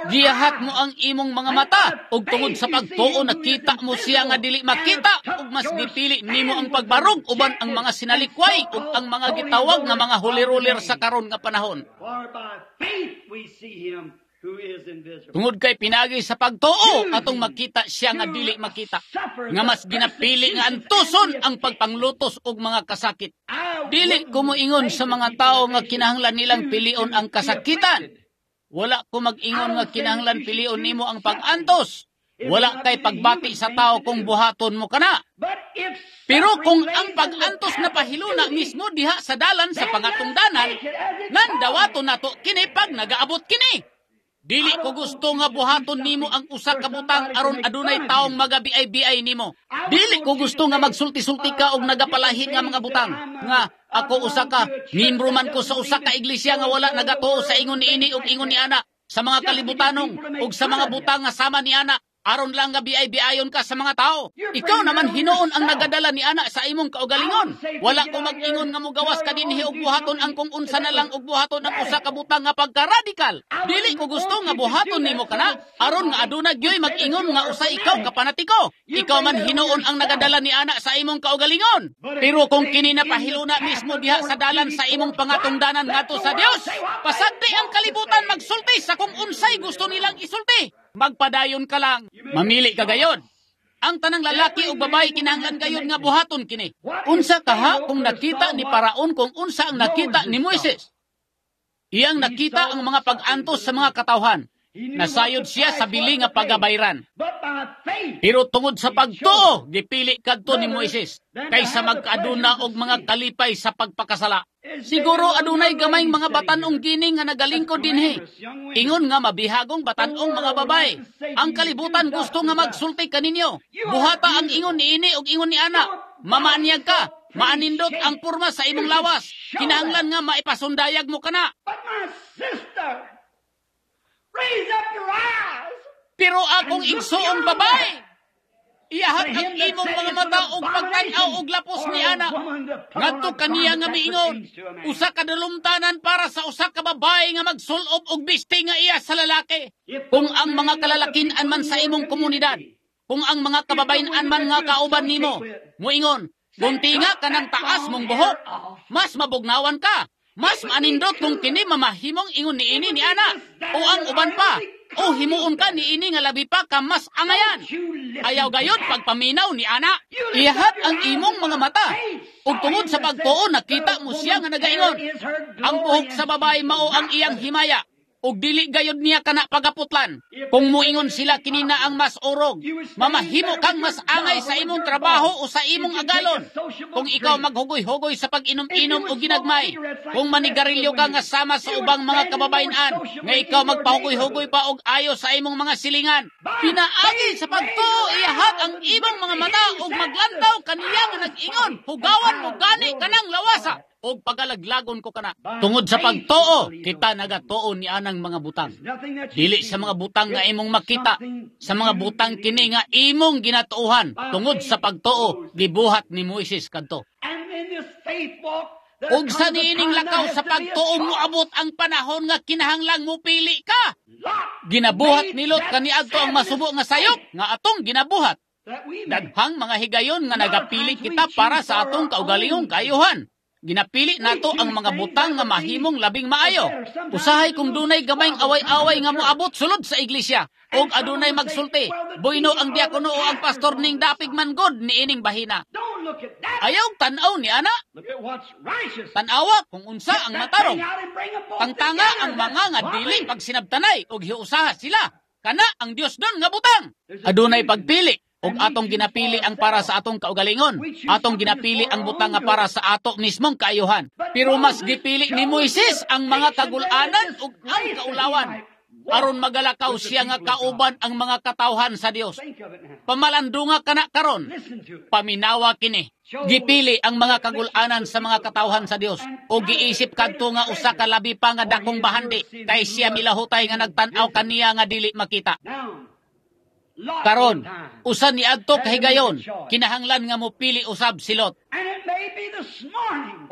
Giyahat mo ang imong mga mata ug tungod sa pagtuo nakita mo siya nga dili makita, ug mas gipili nimo ang pagbarog uban ang mga sinalikway ug ang mga gitawag nga mga hulirulir sa karon nga panahon. Tungod kay pinagi sa pagtuo atong makita siya nga dili makita, nga mas ginapili nga antuson ang pagpanglutos og mga kasakit. Dili ko moingon sa mga tao nga kinahanglan nilang pilion ang kasakitan. Wala ko mag-ingon nga kinahanglan pilion nimo ang pag-antos. Wala kay pagbati sa tao kung buhaton mo kana. Pero kung ang pag-antos na pahiluna mismo diha sa dalan sa pangatungdanan, nandawato nato kini pag nagaabot kini. Dili ko gusto nga buhaton nimo ang usa ka butang aron adunay taong magabiay-biay nimo. Dili ko gusto nga magsulti-sulti ka og nagapalahi nga mga butang nga Ako usa ka, miyembro man ko sa usa ka iglesia nga wala nagatuo sa ingon niini ug ingon ni ana, sa mga kalibutanong ug sa mga butang nga sama ni ana, aron lang nga biay-biayon ka sa mga tao. Ikaw naman hinuon ang nagadala ni ana sa imong kaugalingon. Wala ko mag-ingon nga mugawas ka dinhi og buhaton ang kung unsa na lang og buhaton ang usa ka butang nga pagka-radikal. Dili ko gusto nga buhaton nimo kana aron nga aduna gyoy mag-ingon nga usa ikaw ka panatiko. Ikaw man hinuon ang nagadala ni ana sa imong kaugalingon. Pero kung kini napahiluna mismo diha sa dalan sa imong pangatungdanan ngadto sa Dios, pasagdi ang kalibutan magsulti sa kung unsay gusto nilang isulti. Magpadayon ka lang. Mamili ka gayon. Ang tanang lalaki ug babae kinahanglan gayon nga buhaton kini. Unsa kaha kung nakita ni Paraon kung unsa ang nakita ni Moises? Iyang nakita ang mga pag-antos sa mga katawhan. Nasayod siya sa bili nga pagabayran. Pero tungod sa pagtuo, gipili kadto ni Moises kaysa magkaaduna og mga kalipay sa pagpakasala. Siguro adunay gamayng mga batan-ong gining nga nagalingkod dinhi. Ingon nga mabihagong batan-ong mga babae. Ang kalibutan gusto nga magsulti kaninyo. Buhata ang ingon niini og ingon ni ana. Mamaanyag ka, maanindot ang porma sa imong lawas. Kinahanglan nga maipasundayag mo kana. But my sister, raise up your eyes. Pero akong igsuong babae, iyahat ang imong mga mata og pagtan-aw og lapos ni ana. Ngadto kaniya nga miingon, usa ka dalumtanan para sa usa ka babae nga magsulob og bisti nga iya sa lalaki. Kung ang mga kalalakin-an man sa imong komunidad, kung ang mga kababayen-an man nga kauban nimo, muingon, gunti nga kanang taas mong buhok, mas mabugnawan ka, mas maanindot kung kini mamahimong ingon niini ni ana, o ang uban pa, o himuon ka niini nga labi pa ka mas angayan. Ayaw gayod pagpaminaw ni ana. Iyahat ang imong mga mata. Ug tungod sa pagtuo nakita mo siya nga nagaingon. Ang buhok sa babae mao ang iyang himaya. Ug dili gayod niya kana pagaputlan. Kung muingon sila kini na ang mas orog, mamahimo kang mas angay sa imong trabaho o sa imong agalon. Kung ikaw maghugoy-hugoy sa pag-inom-inom o ginagmay, kung manigarilyo ka nga sama sa ubang mga kababayen-an, nga ikaw magpahugoy-hugoy pa og ayo sa imong mga silingan, pinaagi sa pagtuo iyahat ang imong mga mata ug maglantaw kaniya nga nag-ingon, hugawan mo gani kanang lawasa og pagalaglagon ko kana. Tungod sa pagtuo, kita nagatuo ni anang mga butang. Dili sa mga butang nga imong makita, sa mga butang kini nga imong ginatuohan. Tungod sa pagtuo, gibuhat ni Moises kadto. Ug sa niining lakaw sa pagtuo moabot ang panahon nga kinahanglang mopili ka. Ginabuhat ni Lot kaniadto ang masubo nga sayop nga atong ginabuhat. Daghang mga higayon nga nagapili kita para sa atong kaugalingong kaayuhan. Ginapili nato ang mga butang nga mahimong labing maayo. Usahay kung dunay gamayng away-away nga moabot sulod sa iglesia og adunay magsulti, buino ang diakono o ang pastor ning dapig man god niining bahina. Ayaw tan-aw ni ana. Tan-awa kung unsa ang matarong. Tangtanga ang mga nga dili pagsinabtanay og hiusaha sila. Kana ang Dios don nga butang. Adunay pagpili. Og atong ginapili ang para sa atong kaugalingon. Atong ginapili ang butang nga para sa ato mismong kaayuhan. Pero mas gipili ni Moises ang mga kagulanan ug ang kaulawan. Aron magalakaw siya nga kauban ang mga katawhan sa Dios. Pamalandunga kana karon. Paminawa kini. Gipili ang mga kagulanan sa mga katawhan sa Dios o giisip kadto nga usa ka labi pa nga dakong bahandi kay siya milahutay nga nagtan-aw kaniya nga dili makita. Karon, usa ni adto kahigayon, kinahanglan nga mopili usab si Lot.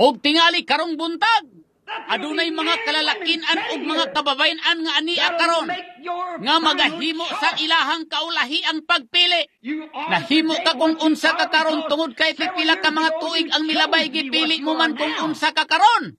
Og tingali karong buntag, adunay mga kalalakin-an ug mga kababayen-an nga ania karon nga magahimo sa ilahang kaulahi ang pagpili. Nahimo ka kung unsa ka karon tungod kay pipila ka mga tuig ang milabay gipili mo man kung unsa ka karon.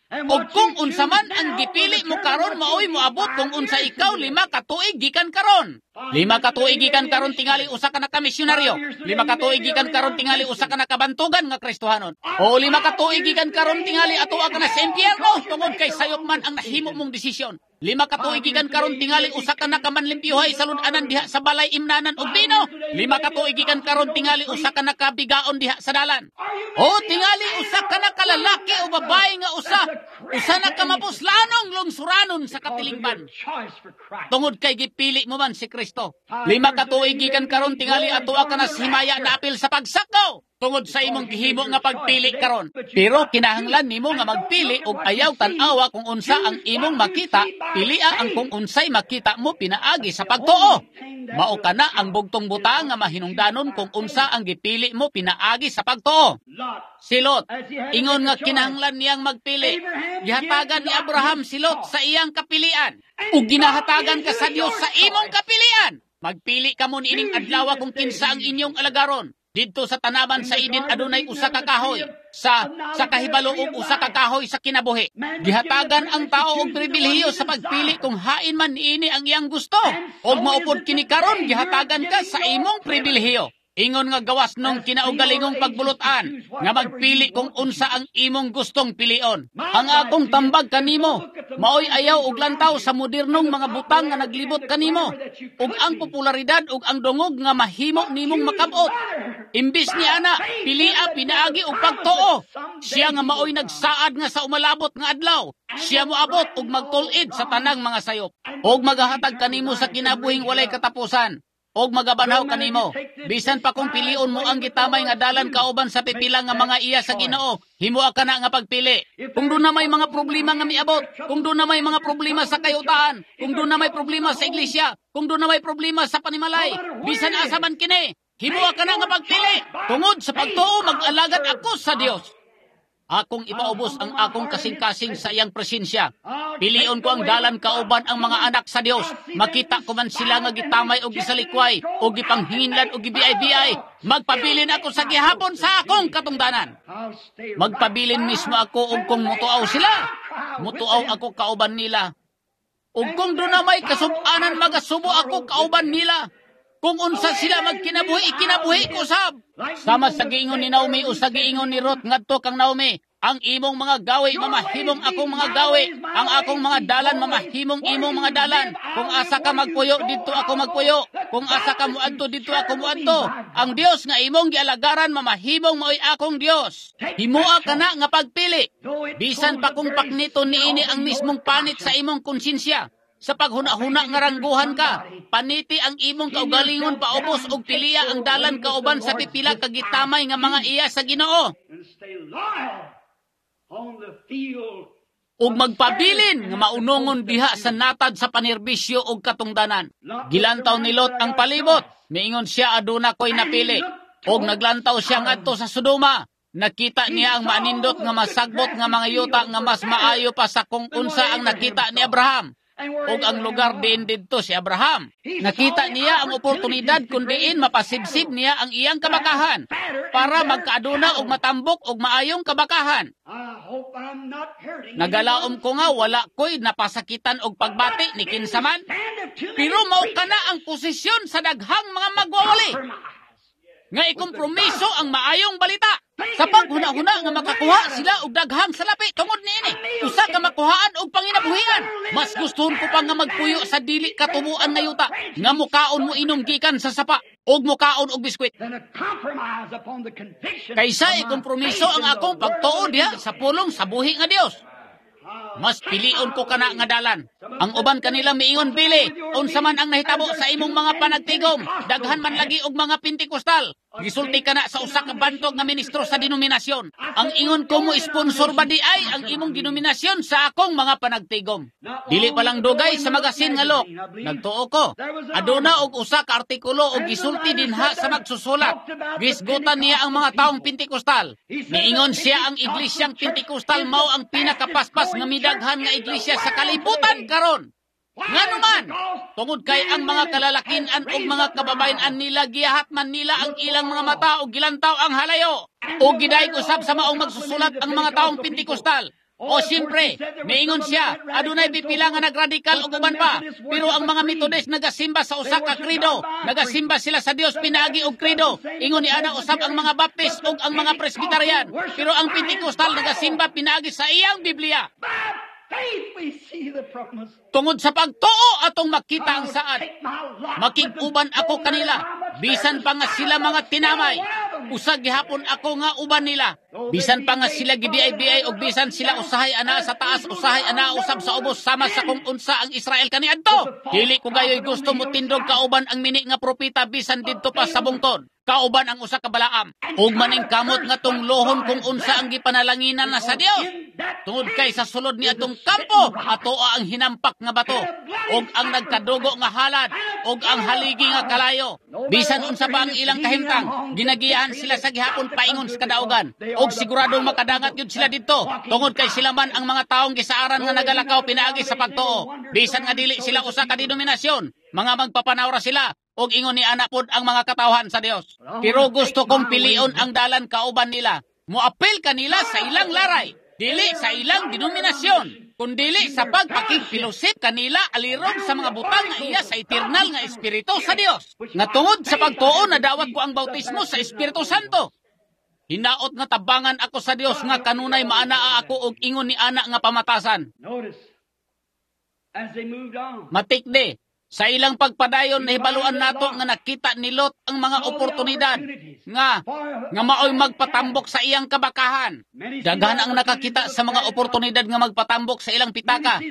Og kung unsa man ang gipili mo karon maoy moabot kung unsa ikaw lima ka tuig gikan karon. Lima ka tuig gikan karon tingali usa ka nakamisyonaryo. Lima ka tuig gikan karon tingali usa ka nakabantugan nga Kristohanon. O lima ka tuig gikan karon tingali atoa ka na sa impyerno tungod kay sayop man ang nahimo mong desisyon. Lima ka tuig gikan karon tingali usa ka nakamanlimpyuhay sa lud-anan diha sa balay imnanan og bino. Lima ka tuig gikan karon tingali usa ka nakabigaon diha sa dalan. O tingali usa ka nakalalaki o babae nga usa usa na ka mapuslanong lungsuranon sa katilingban. Tungod kay gipili mo man si Kristo. Lima ka tuig gikan karon tingali atoa ka na himaya na apil sa pagsakaw. Tungod sa imong gihimo nga pagpili karon. Pero kinahanglan nimo nga magpili og ayaw tan-awa kung unsa ang imong makita, pilia ang kung unsay makita mo pinaagi sa pagtuo. Mao kana ang bugtong butang nga mahinungdanon kung unsa ang gipili mo pinaagi sa pagtuo. Si Lot, ingon nga kinahanglan niyang magpili. Gihatagan ni Abraham si Lot sa iyang kapilian. Ug ginahatagan ka sa Dios sa imong kapilian. Magpili kamo niining adlaw kung kinsa ang inyong alagaron. Didto sa tanaman sa Eden adunay usa ka kahoy sa sa kahibalo og usa ka kahoy sa kinabuhi. Gihatagan ang tao og pribilehiyo sa pagpili kung hain man niini ang iyang gusto. Og maupod kini karon, gihatagan ka sa imong pribilehiyo. Ingon nga gawas nung kinaugalingong pagbulutan nga magpili kung unsa ang imong gustong pilion. Ang akong tambag kanimo, maoy ayaw og lantaw sa modernong mga butang nga naglibot kanimo, ug ang popularidad ug ang dungog nga mahimo nimong makabot. Imbis ni ana, pilia pinaagi og pagtuo. Siya nga maoy nagsaad nga sa umalabot nga adlaw, siya moabot ug magtul-id sa tanang mga sayop ug magahatag kanimo sa kinabuhing walay katapusan. Og magabanhaw kanimo. Bisan pa kung pilion mo ang gitamay nga dalan kauban sa pipila nga mga iya sa Ginoo, himoa ka na nga pagpili. Kung doon na may mga problema nga miabot, kung doon na may mga problema sa kayutaan, kung doon na may problema sa iglesia, kung doon na may problema sa panimalay, bisan asa man kini, himoa ka na nga pagpili. Tungod sa pagtuo, mag-alagad ako sa Dios. Akong ipaubos ang akong kasing-kasing sa iyang presensya. Pilion ko ang dalan kauban ang mga anak sa Dios. Makita ko man sila nga gitamay o gisalikway o gipanghinginlan o gibiay-biay. Magpabilin ako sa gihapon sa akong katungdanan. Magpabilin mismo ako og kung mutuaw sila. Mutuaw ako kauban nila. Ug kung doon na may kasub-anan, magasubo ako kauban nila. Kung unsa sila magkinabuhi, ikinabuhi ko sab. Sama sa giingon ni Naomi o sa giingon ni Ruth ngadto kang Naomi, ang imong mga gawi mamahimong akong mga gawi, ang akong mga dalan mamahimong imong mga dalan. Kung asa ka magpuyo, didto ako magpuyo. Kung asa ka muadto, didto ako muadto. Ang Dios nga imong gialagaran mamahimong maoy akong Dios. Himoa ka na nga pagpili. Bisan pa kung paknito niini ang mismong panit sa imong konsensya. Sa paghuna-huna nga rangguhan ka, paniti ang imong kaugalingon paubos og piliya ang dalan kauban sa pipila ka gitamay nga mga iya sa Ginoo. Ug magpabilin nga maunongon diha sa natad sa panerbisyo og katungdanan. Gilantaw ni Lot ang palibot, miingon siya aduna ko'y napili. Og naglantaw siya ngadto sa Sodoma. Nakita niya ang maanindot nga masagbot nga mga yuta nga mas maayo pa sa kung unsa ang nakita ni Abraham. Og ang lugar diin didto si Abraham. Nakita niya ang oportunidad kung diin mapasibsib niya ang iyang kabakahan para magkaaduna og matambok og maayong kabakahan. Nagalaom ko nga wala ko'y napasakitan og pagbati ni kinsaman, pero mao kana ang posisyon sa daghang mga magwawali nga ikompromiso ang maayong balita. Sa paghuna-huna nga makakuha sila og daghang salapi tungod niini, usa ka makuhaan og panginabuhian. Mas gustohon ko pa nga magpuyo sa dili katubuan nga yuta, nga mukaon mo inom gikan sa sapa og mukaon og biskwit, kaysa ikompromiso ang akong pagtuo diha sa pulong sa buhi nga Dios. Mas pilion ko kana nga dalan. Ang uban kanila miingon, "Bili, unsa man ang nahitabo sa imong mga panagtigom, daghan man lagi og mga Pentikostal." Gisulti kana sa usa ka bantog nga ministro sa denominasyon. Ang ingon ko mo, sponsor ba di ay ang imong denominasyon sa akong mga panagtigom? Dili pa lang dugay sa magasin nga Look, nagtuo ko. Aduna og usa ka artikulo og gisulti dinha sa magsusulat. Gisgutan niya ang mga taong Pentikostal. Miingon siya ang iglesyang Pentikostal mao ang pinakapaspas nga midaghan nga iglesia sa kalibutan karon. Ngano man, tungod kay ang mga kalalakinan og mga kababayen-an nila giyahat man nila ang ilang mga mata og gilantaw ang halayo. Og gidayeg usab sa maong magsusulat ang mga taong Pentikostal. O siyempre, miingon siya, adunay pipila nga nagradikal og uban pa. Pero ang mga Methodist nagasimba sa usa ka credo, nagasimba sila sa Dios pinaagi og credo. Ingon ni ana usab ang mga Baptist ug ang mga Presbyterian. Pero ang Pentecostal nagasimba pinaagi sa iyang Biblia. Tungod sa pagtuo atong makita ang saad. Makig-uban ako kanila, bisan pa nga sila mga tinamay. Usa gihapon ako nga uban nila. Bisan pa nga sila gibiay-biay og bisan sila usahay ana sa taas, usahay ana usab sa ubos, sama sa kung unsa ang Israel kaniadto. Dili ko gayoy gusto mo tindog kauban ang mini nga propeta bisan didto pa sa bungtod. Kauban ang usa ka balaam. Ug maning kamot nga tunglohon kung unsa ang gipanalanginan na sa Dios. Tungod kay sa sulod ni atong kampo, atoa ang hinampak nga bato, ug ang nagkadugo nga halad, ug ang haligi nga kalayo. Bisan unsa pa ang ilang kahimtang, ginagiyahan sila sa gihapon paingon sa kadaugan. Ug siguradong makadangat yun sila didto, tungod kay sila man ang mga taong gisaaran nga nagalakaw pinaagi sa pagtuo. Bisan nga dili sila usa ka denominasyon, mga magpapanawra sila, ug ingon ni ana pod ang mga katawhan sa Dios. Pero gusto kong pilion ang dalan kauban nila. Moapil kanila sa ilang laray, dili sa ilang denominasyon, kundili sa pagpakigfellowship kanila alirog sa mga butang nga iya sa eternal nga Espiritu sa Dios. Nga tungod sa pagtuo na dawat ko ang bautismo sa Espiritu Santo. Hinaot nga tabangan ako sa Dios nga kanunay maanaa ako og ingon ni ana nga pamatasan. Notice, as they moved on, Matikdi, sa ilang pagpadayon nahibaluan nato nga nakita ni Lot ang mga oportunidad nga nga maoy magpatambok sa iyang kabakahan. Daghan ang nakakita sa mga oportunidad nga magpatambok sa ilang pitaka.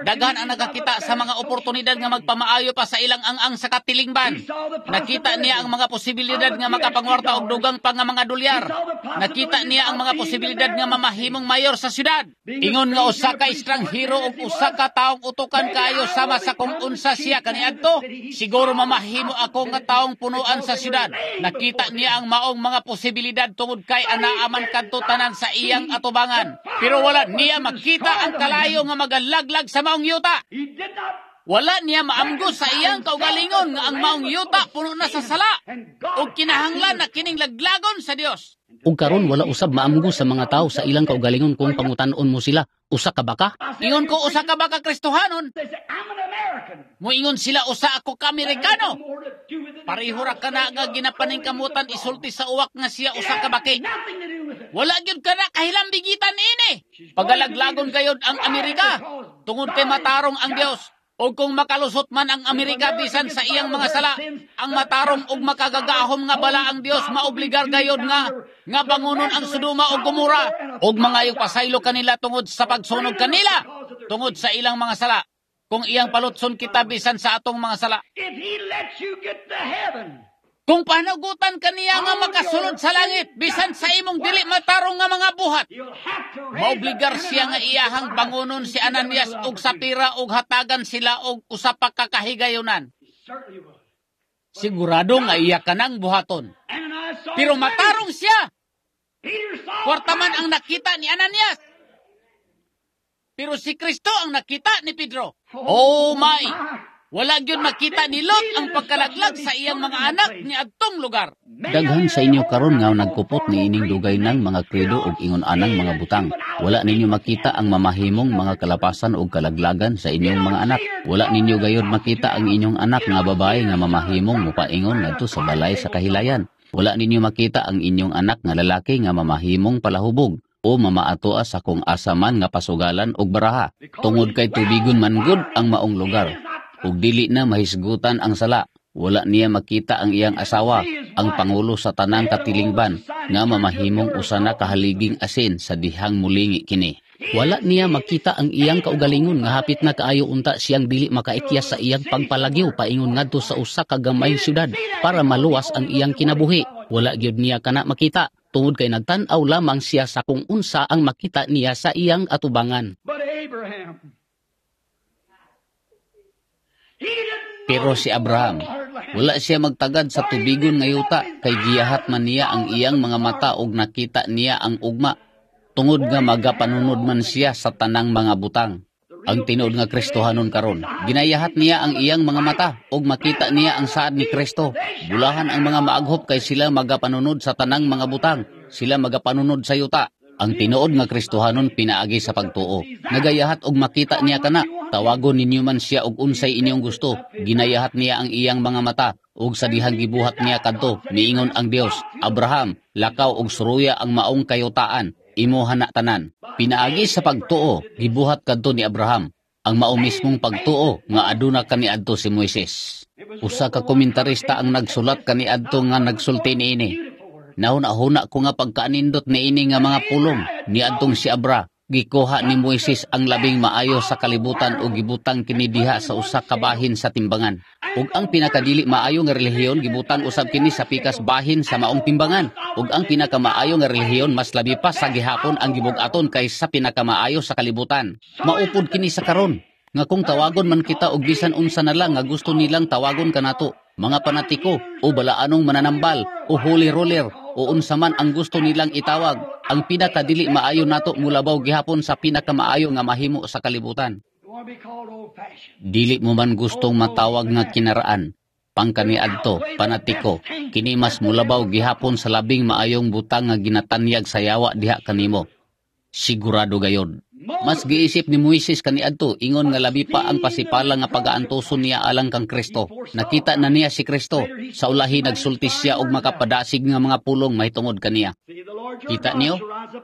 Daghan ang nakakita sa mga oportunidad nga magpamaayo pa sa ilang ang-ang sa katilingban. Nakita niya ang mga posibilidad nga makapangwarta og dugang pa nga mga dolyar. Nakita niya ang mga posibilidad nga mamahimong mayor sa syudad. Ingon nga usa ka estranghero ug usa ka taong utukan kaayo sama sa kung unsa siya kaniadto, siguro mamahimo ako nga taong punuan sa syudad. Nakita niya ang maong mga posibilidad tungod kay anaa man kadto tanan sa iyang atubangan. Pero wala niya makita ang kalayo nga magalaglag sa maong yuta. he did not Wala niya maamgo sa iyang kaugalingon nga ang maong yuta puno na sa sala. Ug kinahanglan na kining laglagon sa Dios. Ug karon wala usab maamgo sa mga tao sa ilang kaugalingon kung pangutan-on mo sila, usa ka baka? Ingon ko usa ka baka Kristohanon, They say, I'm an American. muingon sila usa ako ka Amerikano. More to do with it than Pareho ra kana nga ginapaningkamutan isulti sa uwak nga siya usa ka baki. Nothing to do with it. Wala gyud kana kahilambigitan ini. Pagalaglagon gayod ang Amerika tungod kay matarong ang Dios. O kung makalusot man ang Amerika bisan sa iyang mga sala, ang matarong ug makagagahom nga bala ang Dios maobligar gayod nga nga bangunon ang Sodoma ug Gomora ug mangayog pasaylo kanila tungod sa pagsunog kanila tungod sa ilang mga sala. Kung iyang palutson kita bisan sa atong mga sala. If he lets you get to heaven, Kung panagutan kaniya nga makasulod sa langit bisan sa imong dili matarong nga mga buhat, you'll have to raise Maobligar up siya nga Ananias iyahang bangunon si Ananias ug Sapira ug hatagan sila og usa pa ka kahigayunan. He certainly would. Sigurado nga iya kanang buhaton. Ananias saw Pero the money. matarong siya. Peter saw Kwarta man ang nakita ni Ananias. Pero si Kristo ang nakita ni Pedro. Oh my! Wala gyud makita ni Lot ang pagkalaglag sa iyang mga anak ni adtong lugar. Daghan sa inyo karon nga nagkupot ni ining dugay nang mga kredo ug ingon anang mga butang. Wala ninyo makita ang mamahimong mga kalapasan ug kalaglagan sa inyong mga anak. Wala ninyo gayod makita ang inyong anak nga babae nga mamahimong mopaingon ngadto sa balay sa kahilayan. Wala ninyo makita ang inyong anak nga lalaki nga mamahimong palahubog o mamaatoa sa kung asa man nga pasugalan og baraha. Tungod kay tubigon man gud ang maong lugar ug dili na mahisgutan ang sala. Wala niya makita ang iyang asawa, ang pangulo sa tanang katilingban, nga mamahimong usa na kahaliging asin sa dihang mulingi kini. Wala niya makita ang iyang kaugalingon nga hapit na kaayo unta siyang dili makaikyas sa iyang pagpalagyo paingon ngadto sa usa ka gamayng syudad para maluwas ang iyang kinabuhi. Wala gyud niya kana makita tungod kay nagtan-aw lamang siya sa kung unsa ang makita niya sa iyang atubangan. But Abraham, he didn't Pero si Abraham, wala siya magtagad sa tubigon nga yuta kay giyahat man niya ang iyang mga mata ug nakita niya ang ugma. Tungod nga magapanunod man siya sa tanang mga butang. Ang tinuod nga Kristohanon karon, ginayahat niya ang iyang mga mata ug makita niya ang saad ni Kristo. Bulahan ang mga maaghop kay sila magapanunod sa tanang mga butang, sila magapanunod sa yuta. Ang tinuod nga Kristohanon pinaagi sa pagtuo. Nagayahat og makita niya kana, tawagon ninyo man siya og unsay inyong gusto. Ginayahat niya ang iyang mga mata ug sa dihang gibuhat niya kadto, miingon ang Dios, Abraham, lakaw og suruya ang maong kayutaan, imo na tanan. Pinaagi sa pagtuo, gibuhat kadto ni Abraham ang mao mismong pagtuo nga aduna kaniadto si Moises. Usa ka komentarista ang nagsulat kaniadto nga nagsulti niini. Nahuna-huna ko nga pagkaanindot niini nga mga pulong niadtong si Abra Gikuha ni Moises ang labing maayo sa kalibutan ug gibutang kini diha sa usa ka bahin sa timbangan. Ug ang pinakadili maayo nga relihiyon gibutang usab kini sa pikas bahin sa maong timbangan. Ug ang pinakamaayo nga relihiyon mas labi pa sa gihapon ang gibug-aton kaysa pinakamaayo sa kalibutan. Maupod kini sa karon nga kung tawagon man kita og bisan unsa na lang nga gusto nilang tawagon kanato, mga panatiko o balaanong mananambal o holy roller o unsa man ang gusto nilang itawag, ang pinakadili maayo nato mulabaw gihapon sa pinakamaayo nga mahimo sa kalibutan. Dili mo man gustong matawag nga kinaraan, pangkaniadto, panatiko, kini mas mulabaw gihapon sa labing maayong butang nga ginatanyag sa yawa diha kanimo. Sigurado gayod. Mas giisip ni Moises kaniadto ingon nga labi pa ang pasipala nga pagaantuson niya alang kang Kristo. Nakita na niya si Kristo. Sa ulahi nagsulti siya og makapadasig nga mga pulong mahitungod kaniya. Kita niyo?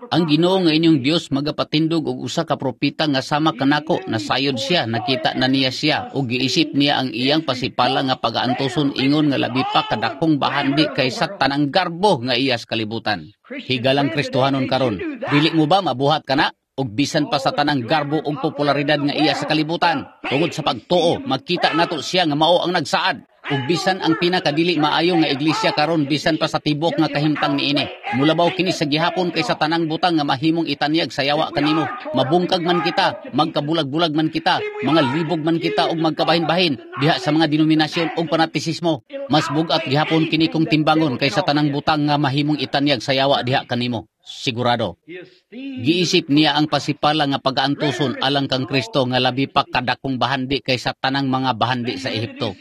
Ang Ginoo nga inyong Dios magapatindog og usa ka propeta nga sama kanako. Nasayod siya, nakita na niya siya ug giisip niya ang iyang pasipala nga pagaantuson ingon nga labi pa kadakong bahandi kaysa tanang garbo nga iya sa kalibutan. Higalang Kristohanon karon, dili mo ba mabuhat kana? Og bisan pa sa tanang garbo ug popularidad nga iya sa kalibutan, tungod sa pagtuo, makita nato siya nga mao ang nagsaad. Ug bisan ang pinakadili maayo nga iglesia karon bisan pa sa tibok nga kahimtang niini, mulabaw kini sa gihapon kaysa tanang butang nga mahimong itanyag sa yawa kanimo. Mabungkag man kita, magkabulag-bulag man kita, mga libog man kita ug magkabahin-bahin diha sa mga denominasyon ug panatisismo. Mas bug-at gihapon kini kung timbangon kaysa tanang butang nga mahimong itanyag sa yawa diha kanimo. Sigurado. Giisip niya ang pasipala nga pagaantuson alang kang Kristo nga labi pa kadakong bahandi kaysa tanang mga bahandi sa Ehipto.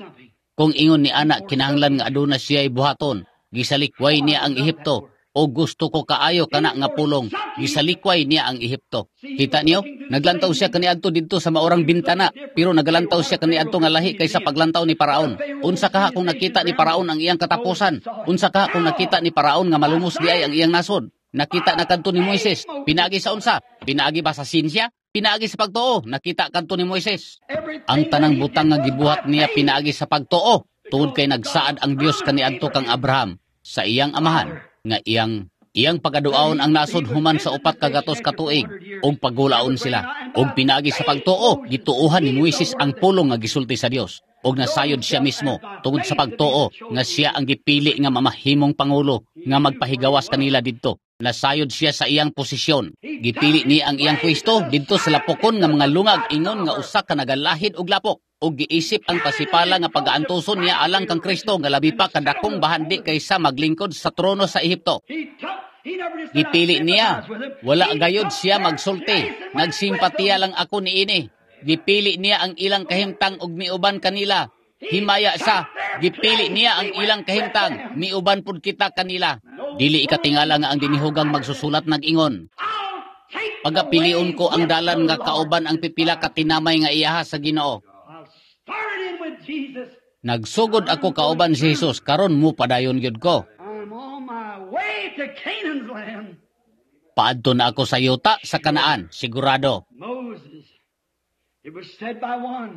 Kung ingon ni ana kinahanglan nga aduna siya buhaton, gisalikway niya ang Ehipto. O gusto ko kaayo kana nga pulong, gisalikway niya ang Ehipto. Kita niyo, naglantaw siya kaniadto didto sa maorang bintana, pero nagalantaw siya kaniadto nga lahi kaysa paglantaw ni Paraon. Unsa kaha kung nakita ni Paraon ang iyang katapusan? Unsa kaha kung nakita ni Paraon nga malumos diay ang iyang nasod? Nakita na kadto ni Moises. Pinaagi sa unsa? Pinaagi ba sa sinsya? Pinaagi sa pagtuo. Nakita kadto ni Moises. Ang tanang butang nga gibuhat niya pinaagi sa pagtuo. Tungod kay nagsaad ang Dios kaniadto kang Abraham sa iyang amahan nga iyang iyang pagaduaon ang nasod human sa upat kagatos ka tuig ug pagulaon sila. Ug pinaagi sa pagtuo, gituohan ni Moises ang pulong nga gisulti sa Dios. Og nasayod siya mismo tungod sa pagtuo nga siya ang gipili nga mamahimong pangulo nga magpahigawas kanila didto. Nasayod siya sa iyang posisyon. Gipili niya ang iyang pwesto didto sa lapokon nga mga lungag ingon nga usa ka nagalahid og lapok. Ug giisip ang pasipala nga pagaantuson niya alang kang Kristo nga labi pa kadakong bahandi kaysa maglingkod sa trono sa Ehipto. Gipili niya. Wala gayod siya magsulti. Nagsimpatiya lang ako niini. Gipili niya ang ilang kahimtang ug miuban kanila. Himaya sa, gipili niya ang ilang kahimtang, miuban pud kita kanila. Dili ikatingala nga ang dinihugang magsusulat nag-ingon. Pagapilion ko ang dalan nga kauban ang pipila ka tinamay nga iyaha sa Ginoo. Nagsugod ako kauban si Jesus, karon mo padayon gyud ko. Paadto na ako sa yuta sa Kanaan, sigurado.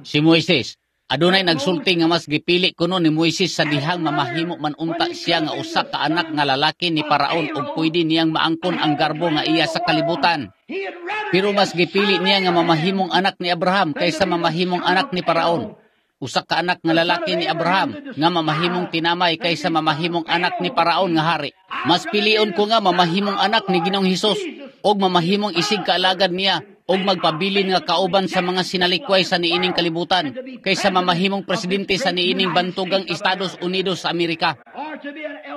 Si Moises, adunay nagsulti nga mas gipili kuno ni Moises sa dihang mamahimo man unta siya nga usa ka anak nga lalaki ni Paraon ug pwede niyang maangkon ang garbo nga iya sa kalibutan. Pero mas gipili niya nga mamahimong anak ni Abraham kaysa mamahimong anak ni Paraon. Usa ka anak nga lalaki ni Abraham nga mamahimong tinamay kaysa mamahimong anak ni Paraon nga hari. Mas pilion ko nga mamahimong anak ni Ginoong Hesus og mamahimong isig kaalagad niya og magpabilin nga kauban sa mga sinalikway sa niining kalibutan kaysa mamahimong presidente sa niining bantugang Estados Unidos sa Amerika.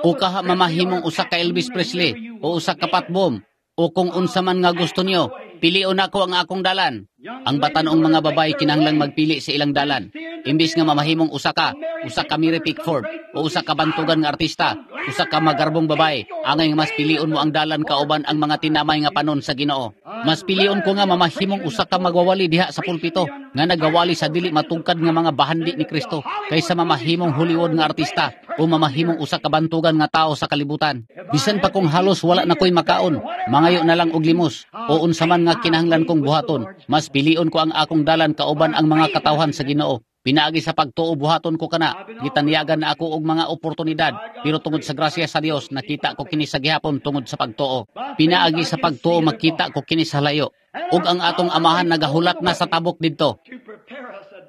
O kaha mamahimong usa ka Elvis Presley o usa ka Pat Boone o kung unsa man nga gusto niyo, pilion nako ang akong dalan. Ang batan-ong mga babae kinahanglang magpili sa ilang dalan. Imbis nga mamahimong usa ka, usa ka Mary Pickford o usa ka bantugan nga artista, usa ka magarbong babae, angay nga mas pilion mo ang dalan kauban ang mga tinamay nga panon sa Ginoo. Mas pilion ko nga mamahimong usa ka magwawali diha sa pulpito nga nagawali sa dili matungkad nga mga bahandi ni Kristo kaysa mamahimong Hollywood nga artista o mamahimong usa ka bantugan nga tao sa kalibutan. Bisan pa kung halos wala na ko'y makaon, mangayo na lang og limos o unsa man nga kinahanglan kong buhaton, mas pilion ko ang akong dalan kauban ang mga katawhan sa Ginoo. Pinaagi sa pagtuo buhaton ko kana, gitanyagan na ako og mga oportunidad, pero tungod sa grasya sa Dios nakita ko kini sa gihapon tungod sa pagtuo. Pinaagi sa pagtuo makita ko kini sa layo, ug ang atong amahan nagahulat na sa tabok didto.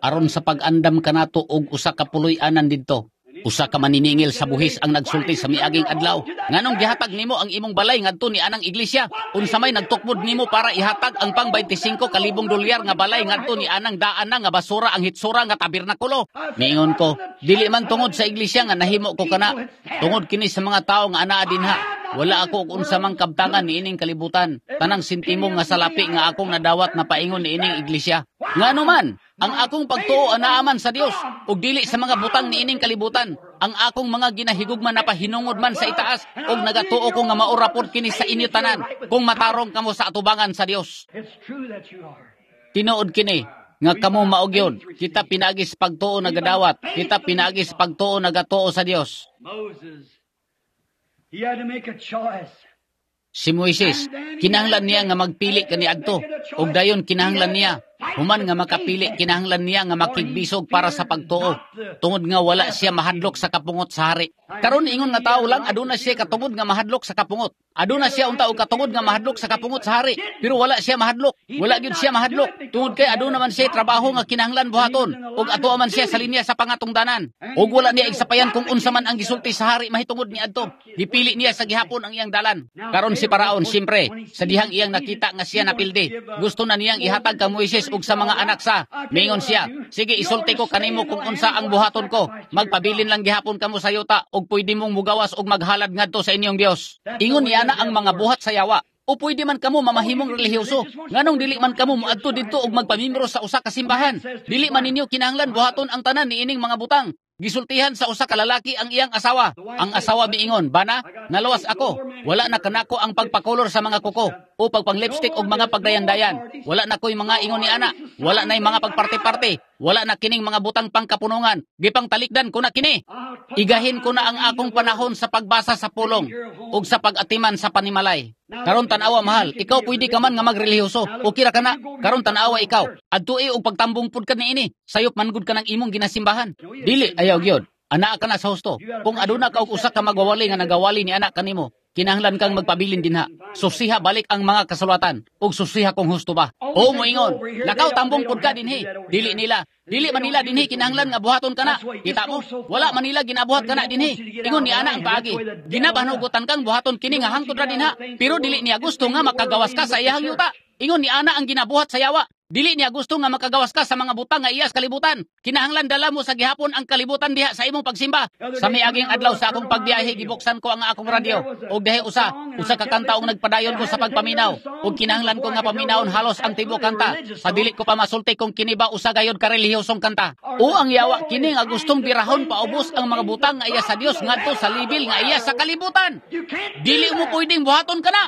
Aron sa pag-andam kanato og usa ka puloy-anan didto. Usa ka maniningil sa buhis ang nagsulti sa miaging adlaw. Nganong gihatag nimo ang imong balay ngadto ni anang iglesia? Unsa may nagtukmod nimo para ihatag ang pang beinte singko kalibong dolyar nga balay ngadto ni anang daan na nga basura ang hitsura nga tabernakulo? Miingon ko, dili man tungod sa iglesia nga nahimo ko kana. Tungod kini sa mga tawo nga anaa dinha. Wala ako og unsa mang kabtangan niining kalibutan. Tanang sentimo nga salapi nga akong nadawat na paingon niining iglesia. Ngano man, ang akong pagtuo anaa man sa Dios ug dili sa mga butang niining kalibutan. Ang akong mga ginahigugma na pahinungod man sa itaas ug nagatuo ko nga mao ra pod kini sa inyo tanan kung matarong kamo sa atubangan sa Dios. Tinuod kini nga kamo mao gyud. Kita pinaagi sa pagtuo nagadawat, kita pinaagi sa pagtuo nagatuo sa Dios. He had to make a choice. Si Moises, kinahanglan niya nga magpili kaniadto, ug dayon kinahanglan niya human nga makapili, kinahanglan niya nga makigbisog para sa pagtuo, tungod nga wala siya mahadlok sa kapungot sa hari. Karon ingon nga tawo lang, aduna siya katungod nga mahadlok sa kapungot. Aduna siya unta og katungod nga mahadlok sa kapungot sa hari, pero wala siya mahadlok. Wala gyud siya mahadlok tungod kay aduna man siya trabaho nga kinahanglan buhaton, ug ato man siya sa linya sa pangatungdanan. Ug wala niya igsapayan kung unsa man ang gisulti sa hari mahitungod niadto. Gipili niya sa gihapon ang iyang dalan. Karon si Paraon, siyempre, sa dihang iyang nakita nga siya napildi, gusto na niyang ihatag kang Moises ug sa mga anak sa. Mingon siya, "Sige, isulti ko kanimo kung unsa ang buhaton ko. Magpabilin lang gihapon kamo sa yuta ug pwede mong mugawas ug maghalad ngadto sa inyong Dios." Ingon niya na ang mga buhat sa yawa. O pwede man kamo mamahimong relihiyoso. Nganong dili man kamo moadto didto og magpamimro sa usa ka simbahan? Dili man ninyo kinahanglan buhaton ang tanan niining mga butang. Gisultihan sa usa ka lalaki ang iyang asawa. Ang asawa miingon, "Bana, nalawas ako. Wala na kanako ang pagpakolor sa mga kuko o pagpang-lipstick og mga pagdayan-dayan. Wala na ko'y mga ingon ni ana. Wala na'y mga pagparte-parte. Wala na kining mga butang pangkapunungan. Gipang talikdan ko na kini. Igahin ko na ang akong panahon sa pagbasa sa pulong ug sa pag-atiman sa panimalay." Karon tan-awa, mahal, ikaw pwede ka man nga magrelihiyoso. Okay ra kana. Karon tan-awa ikaw. Adtui og pagtambong pud ka niini. Sayop man gud ka ng imong ginasimbahan. Dili, ayaw gyud. Anaa ka na sa husto. Kung aduna ka og usa ka magwawali nga nagawali ni ana kanimo, kinahanglan kang magpabilin dinha. Susiha balik ang mga kasulatan ug susiha kung husto ba. O moingon, "Lakaw, tambong pud ka dinhi." Dili nila. Dili man nila dinhi kinahanglan nga buhaton kana. Kita mo, wala man nila ginabuhat kana dinhi. Ingon ni ana ang paagi. Ginabanugutan kang buhaton kini nga hangtod ra dinha. Pero dili niya gusto nga makagawas ka sa iyang yuta. Ingon ni ana ang ginabuhat sa yawa. Dili niya gusto nga makagawas ka sa mga butang nga iya sa kalibutan. Kinahanglan dala mo sa gihapon ang kalibutan diha sa imong pagsimba. Sa miaging adlaw sa akong pagbiyahe, gibuksan ko ang akong radyo. Og dahi usa, usa ka kanta og nagpadayon ko sa pagpaminaw. Og kinahanglan ko nga paminawon halos ang tibuok kanta. Sa dili ko pa masulti kung kini ba usa gayod ka relihiyosong kanta. O ang yawa kini nga gustong birahon paubos ang mga butang nga iya sa Dios ngadto sa libil nga iya sa kalibutan. Dili mo pwedeng buhaton kana.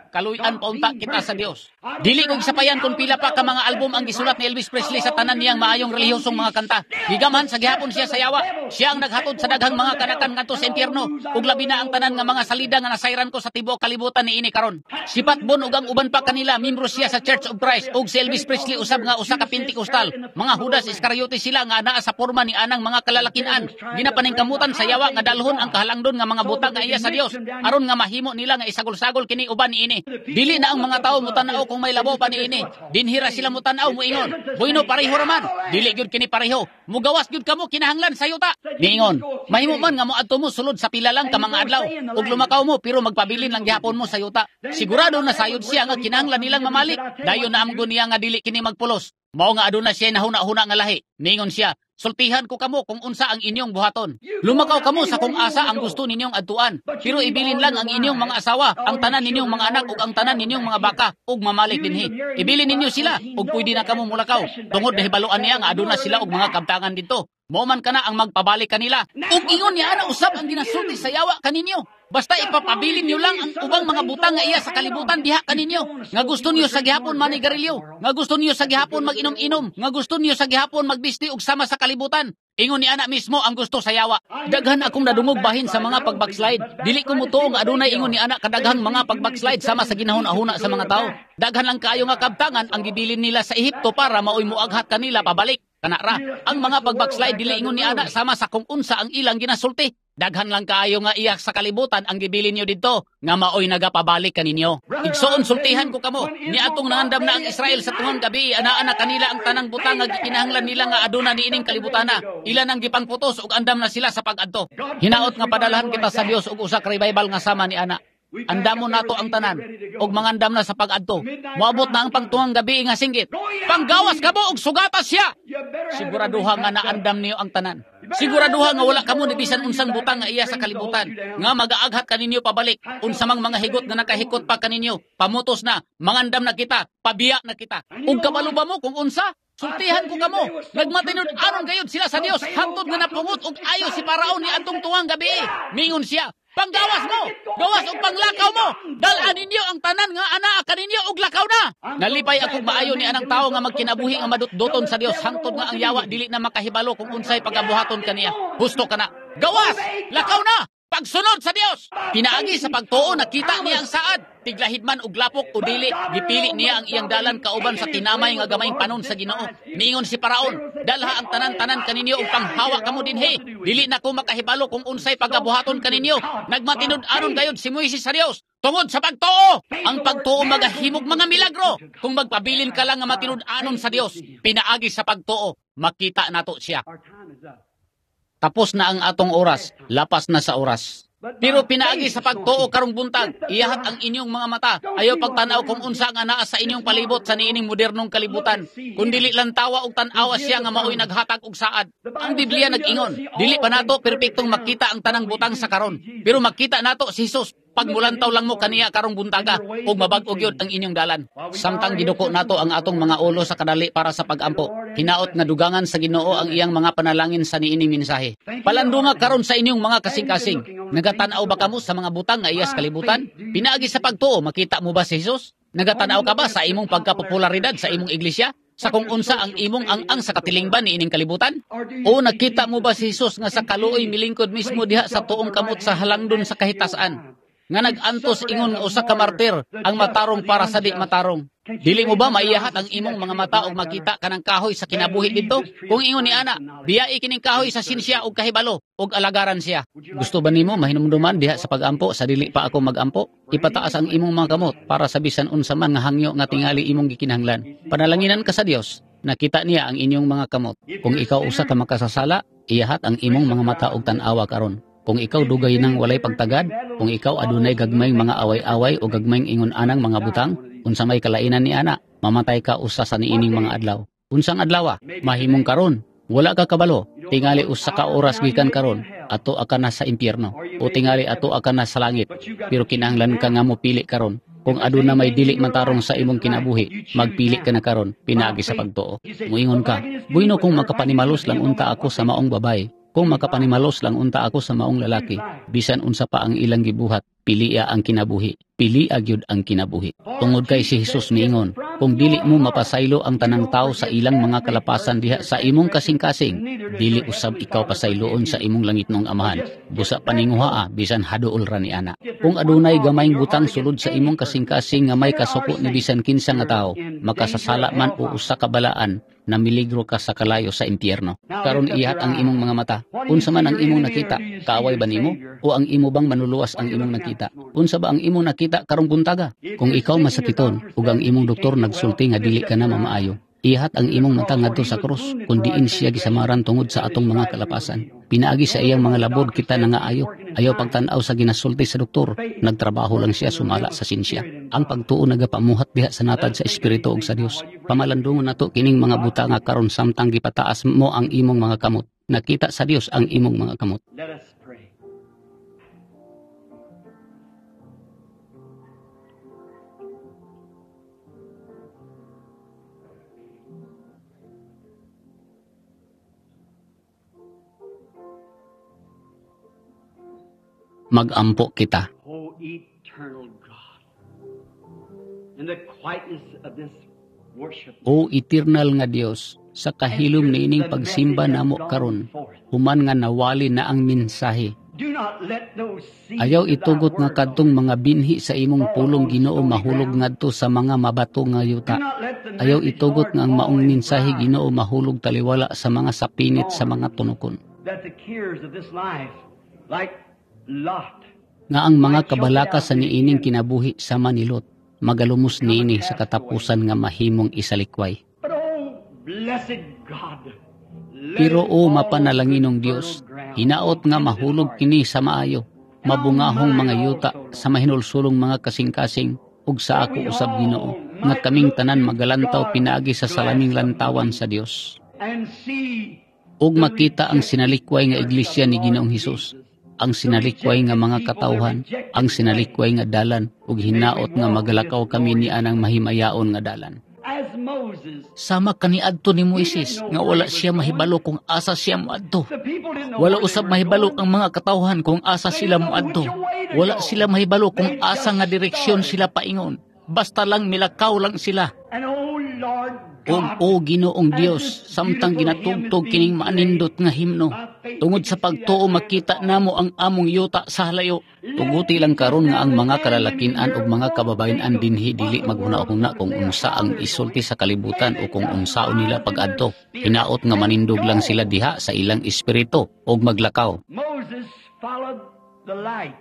Kaluy-an paunta kita sa Dios. Dili ko gisapayan kung pila pa ka mga album ang gisulat ni Elvis Presley sa tanan niyang maayong relihiyosong mga kanta. Gigamhan sa gihapon siya sa yawa. Siya ang naghatod sa daghang mga kanakan ngadto sa impyerno. Ug labi na ang tanan nga mga salida nga nasayran ko sa tibuok kalibutan niini karon. Si Pat Boone ug ang uban pa kanila, membro siya sa Church of Christ, ug si Elvis Presley usab nga usa ka Pentecostal. Mga Judas Iscariote sila nga anaa sa porma ni anang mga kalalakinan. Ginapaningkamutan sa yawa nga dalhon ang kahalangdon nga mga butang nga iya sa Dios aron nga mahimo nila nga isagol-sagol kini uban niini. Dili na ang mga tao mutan-aw kung may labaw pa niini. Dinhira sila mutan-aw, muingon, "Bueno, pareho raman." Dili gyud kini pareho. Mugawas gyud kamo kinahanglan sa yuta. Niingon, "Mahimo man nga moadto mo sulod sa pila lang ka mga adlaw ug lumakaw mo, pero magpabilin lang gihapon mo sa yuta." Sigurado na sayod siya nga kinahanglan nilang mamalik. Dayon na amgo niya nga dili kini magpulos. Mao nga aduna siya nahuna-huna nga lahi. Ningon siya, "Sultihan ko kamo kung unsa ang inyong buhaton. Lumakaw kamo sa kung asa ang gusto ninyong adtuan. Pero ibilin lang ang inyong mga asawa, ang tanan ninyong mga anak ug ang tanan ninyong mga baka ug mamalik dinhi. Ibilin ninyo sila ug pwede na kamo mulakaw." Tungod nahibaluan niya nga aduna sila og mga kabtangan didto. Mao man kana ang magpabalik kanila. Ug ingon niya ana usab ang ginasulti sa yawa kaninyo. Basta ipapabilin niyo lang ang ubang mga butang nga iya sa kalibutan diha kaninyo. Nga gusto niyo sa gihapon manigarilyo, nga gusto niyo sa gihapon mag-inom-inom, nga gusto niyo sa gihapon magbisti og sama sa kalibutan. Ingon ni ana mismo ang gusto sa yawa. Daghan akong nadungog bahin sa mga pag-backslide. Dili ko mutuo nga adunay ingon ni ana kadaghang mga pag-backslide sama sa ginahuna-huna sa mga tao. Daghan lang kaayo nga kabtangan ang gibilin nila sa Ehipto para maoy muaghat kanila pabalik. Kana ra, ang mga pag-backslide dili ingon ni ana sama sa kung unsa ang ilang ginasulti. Daghan lang kaayo nga iya sa kalibutan ang gibilin niyo didto nga maoy nagapabalik kaninyo. Igsoon, sultihan ko kamo niadtong nangandam na ang Israel sa tungang gabi, anaa na kanila ang tanang butang nga gikinahanglan nila nga aduna niining kalibutana. Ila nang gipangputos ug andam na sila sa pag-adto. Hinaot nga padalhan kita sa Dios og usa ka revival nga sama ni ana. Andamo nato ang tanan ug mangandam na sa pag-adto. Moabot na ang pangtungang gabi nga singgit. Panggawas kamo og sugata siya. Siguraduha nga naandam niyo ang tanan. Siguraduha nga wala kamo ni bisan unsang butang nga iya sa kalibutan nga magaaghat kaninyo pabalik. Unsa mang mga higot nga nakahikot pa kaninyo, pamutos na, mangandam na kita, pabiya na kita. Ug kabalo ba mo kung unsa? Sultihan ko kamo, nagmatinud aron gayud sila sa Dios hangtod nga napungot og ayo si Paraon ni adtong tuwang gabi. Mingon siya, panggawas mo, gawas og panglakaw mo, dal-an ninyo ang tanan nga anaa kaninyo og lakaw na. Nalipay akong maayo ni anang tawo nga magkinabuhi nga madutduton sa Dios hangtod nga ang yawa dili na makahibalo kung unsay pagabuhaton kaniya. Husto kana. Gawas, lakaw na. Pagsunod sa Dios. Pinaagi sa pagtuo nakita niya ang saad. Tiglahid man og lapok o dili, gipili niya ang iyang dalan kauban sa tinamay nga gamayng panon sa Ginoo. Niingon si Paraon, dalha ang tanan-tanan kaninyo ug panghawa kamo dinhi. Dili na ko makahibalo kung unsay pagabuhaton kaninyo. Nagmatinud aron gayud si Moises sa Dios tungod sa pagtuo. Ang pagtuo magahimog mga milagro. Kung magpabilin ka lang nga matinud-anon sa Dios, pinaagi sa pagtuo, makita nato siya. Tapos na ang atong oras, lapas na sa oras. Pero pinaagi sa pagtuo karong buntag, iyahat ang inyong mga mata. Ayaw pagtanaw kung unsa nga naa sa inyong palibot sa niining modernong kalibutan. Kung dili lang tawa og tan-awa siya nga maoy naghatag og saad. Ang Biblia nag-ingon, dili pa nato perpektong makita ang tanang butang sa karon, pero makita nato si Jesus. Pagmulantaw lang mo kaniya karong buntaga ug mabag-o gyud ang inyong dalan. Samtang giduko nato ang atong mga ulo sa kadali para sa pag-ampo, hinaot nga dugangan sa Ginoo ang iyang mga panalangin sa niining mensahe. Palandunga karon sa inyong mga kasing-kasing. Nagatan-aw ba kamo sa mga butang nga iyas kalibutan? Pinaagi sa pagtuo, makita mo ba si Jesus? Nagatan-aw ka ba sa imong pagkapopularidad sa imong iglesia? Sa kung unsa ang imong ang-ang sa katilingban ni ining kalibutan? O nakita mo ba si Jesus nga sa kaluoy milingkod mismo diha sa tuong kamot sa halangdon sa kahitasan? Nga nag-antos ingon nga usa ka martir ang matarong para sa di matarong. Dili mo ba maiyahat ang imong mga mata og makita kanang kahoy sa kinabuhi didto? Kung ingon ni ana, biyai kining kahoy sa sinsya og kahibalo og alagaran siya. Gusto ba nimo mahinumduman diha sa pag-ampo sa dili pa ako mag-ampo? Ipataas ang imong mga kamot para sa bisan unsa man nga hangyo nga tingali imong gikinahanglan. Panalanginan ka sa Dios, nakita niya ang inyong mga kamot. Kung ikaw usa ka makasasala, iyahat ang imong mga mata og tan-awa karon. Kung ikaw dugay nang walay pagtagad, kung ikaw adunay gagmayng mga away-away o gagmayng ingon anang mga butang, unsa may kalainan ni ana, mamatay ka usa sa niining mga adlaw. Unsang adlaw? Mahimong karon, wala ka kabalo, tingali usa ka oras gikan karon, ato ka na sa impyerno, o tingali ato ka na sa langit, pero kinahanglan ka nga mopili karon. Kung aduna may dili matarong sa imong kinabuhi, magpili ka na karon, pinaagi sa pagtuo. Muingon ka, buino kung makapanimalos lang unta ako sa maong babae, kung makapanimalos lang unta ako sa maong lalaki, bisan unsa pa ang ilang gibuhat, pilia ang kinabuhi, pilia gyud ang kinabuhi. Tungod kay si Jesus miingon, kung dili mo mapasaylo ang tanang tao sa ilang mga kalapasan diha sa imong kasing-kasing, dili usab ikaw pasayloon sa imong langitnong amahan. Busa paninguhaa, bisan haduol ra ni ana. Kung adunay gamayng butang sulod sa imong kasing-kasing nga may kasuko ni bisan kinsa nga tawo, makasasala man o usa ka balaan, na miligro ka sa kalayo sa impyerno. Karon ihat ang imong mga mata. Unsa man ang imong nakita, kaaway ba nimo? O ang imo bang manuluwas ang imong nakita? Unsa ba ang imong nakita karong buntaga? Kung ikaw masakiton ug ang imong doktor nagsulti nga dili ka na mamaayo, ihat ang imong mata ngadto sa krus, kun diin siya gisamaran tungod sa atong mga kalapasan. Pinaagi sa iyang mga labod kita na nga ayo. Ayaw pagtan-aw sa ginasulti sa doktor, nagtrabaho lang siya sumala sa sinsya. Ang pagtuo nagapamuhat diha sa natad sa espiritu ug sa Dios. Pamalandungon nato kining mga butanga karon samtang gipataas mo ang imong mga kamot. Nakita sa Dios ang imong mga kamot. Let us pray. Mag-ampo kita. O eternal God, in the quietness of this worship, O eternal nga Dios, sa kahilom niining pagsimba namo karon, human nga nawali na ang mensahe, Do not let those seeds Ayaw of thy itugot nga word, kadtong mga binhi sa imong pulong, Ginoo, mahulog ground. Ngadto sa mga mabato nga Do yuta. not let the Ayaw message, itugot Lord, nga ang fall maong in mensahe, briars, Ginoo, mahulog taliwala sa mga sapinit sa mga tunokon. That the cares of this life, like Lot, Nga ang mga kabalaka sa niining kinabuhi sama ni Lot, magalumos niini sa katapusan nga mahimong isalikway. But oh, blessed God, let Pero it o fall on mapanalanginong good Dios, fertile ground, hinaot nga contented mahulog hearts. Kini sa maayo, mabungahong mga yuta sa mahinulsulong mga kasing-kasing ug sa That ako we usab, Ginoo, all nga might kaming look tanan through magalantaw God's pinaagi sa glass salaming of lantawan moon sa Dios. And see Ug the makita ang rejected sinalikway nga church of iglesia the ni Lord Ginoong Hesus, Jesus, ang the sinalikway nga rejected mga people, the katawhan, ang rejected way. Sinalikway nga dalan ug May we hinaot nga walk this magalakaw kami ni glorious anang mahimayaon nga dalan. As Moses. Sama kaniadto ni He didn't Moises know nga where wala he was siya going. mahibalo kung asa siya moadto. The people didn't know Wala where they usab were mahibalo going. ang mga katawhan kung asa They sila didn't know moadto. which way to Wala go. sila mahibalo kung They asa just nga direksyon started. Sila paingon. Basta lang milakaw lang sila. And oh Lord Ug God, o Ginoong as Dios, this samtang beautiful hymn is ginatugtog being kining played, maanindot nga himno, by faith we tungod can sa see that pagtuo land makita afar. Namo ang among yuta sa halayo. Let Tuguti lang karon nga now ang the mga men and women kalalakinan here ug mga won't kababayen-an think of dinhi what dili the world maghuna-huna would kung say or unsa how ang they're isulti going. Sa May kalibutan they o kung just unsaon nila rise in their pag-adto. spirit Hinaot nga and manindog lang sila go. Diha sa ilang espiritu ug maglakaw. Moses followed the light.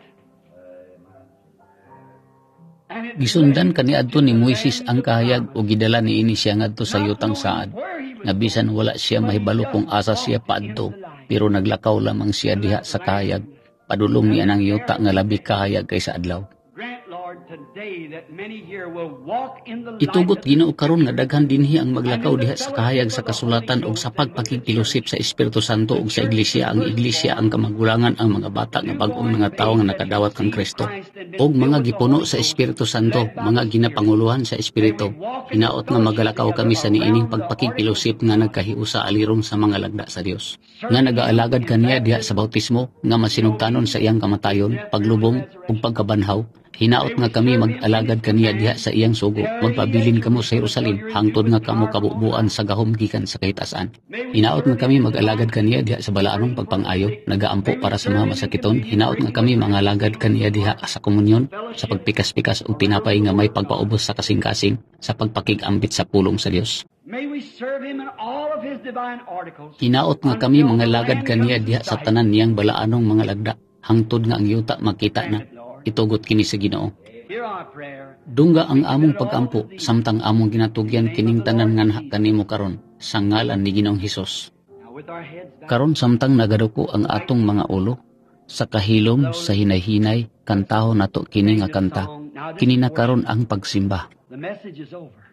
And it led Gisundan him kaniadto to ni the Moises land ang of kahayag promise. ug gidala niini siya ngadto sa Not yutang knowing saad. where he was Nga bisan going, wala siya but he mahibalo just kung asa siya walked in paadto, the light pero naglakaw lamang siya to diha that sa kahayag. land Padulong and ni anang the yuta nga labi barren kahayag kaysa adlaw. Grant, Lord, today that many here will walk in the light Itugot of the Ginoo karon nga Scripture daghan dinhi ang and maglakaw in the diha sa fellowship kahayag of sa the Holy kasulatan ug Ghost sa and with the church. pagpakigfellowship sa Espiritu Santo The ug sa church, iglesia, the ang iglesia, firstborn, ang kamagulangan, ang mga bata nga bag-ong newborn mga tawo babes nga that nakadawat kang received Kristo Christ and been ug filled mga with the gipuno Holy sa Ghost, Espiritu Santo, led by mga the Spirit. ginapanguluhan sa May Espiritu. we walk in the Hinaot nga fellowship magalakaw together kami sa niining around the articles pagpakigfellowship of nga God, nagkahiusa alirong sa mga lagda sa Dios nga serving Him nagaalagad in kaniya diha sa baptism, bautismo nga masinugtanon sa iyang kamatayon, death, burial, paglubong ug resurrection. pagkabanhaw. Hinaot May nga we kami serve Him in mag-alagad His kaniya diha command, sa iyang sugo. tarry Magpabilin at kamo sa Jerusalem till Jerusalem you're endued hangtod with nga kamo power from on kabubuan high. sa gahom gikan sa kahitasan. May we Hinaot serve nga Him kami in mag-alagad divine kaniya diha sa balaanong praying for the pagpang-ayo, sick. nagaampo May we para sa serve mga Him in masakiton. communion, Hinaot nga breaking kami the bread, mangalagad healing kaniya the diha heart, sa komunyon, sa fellowship pagpikas-pikas og around tinapay the nga may Word of God. pagpaubos sa kasing-kasing, sa pagpakig-ambit sa pulong sa Dios. May we serve Him in all of His divine articles Hinaot nga kami until the mangalagad land kaniya comes to diha sa sight. tanan niyang balaanong mga lagda, hangtod nga ang yuta makita Grant na. it, Lord. Itugot kini sa Ginoo. Hear our prayer. Dungga ang We among commit it all to pagampo Thee. samtang among In the ginatugyan name of kining the tanan Lord nga nha Jesus. Kanimo karon sa ngalan ni Ginoong Hesus. Now with our heads bowed, Karon samtang nagaduko ang like atong mga ulo, sa kahilom sa slowly hinay-hinay kantahon nato kini sing nga this kanta. song. Now this Kini na portion, karon ang pagsimba. the message is over.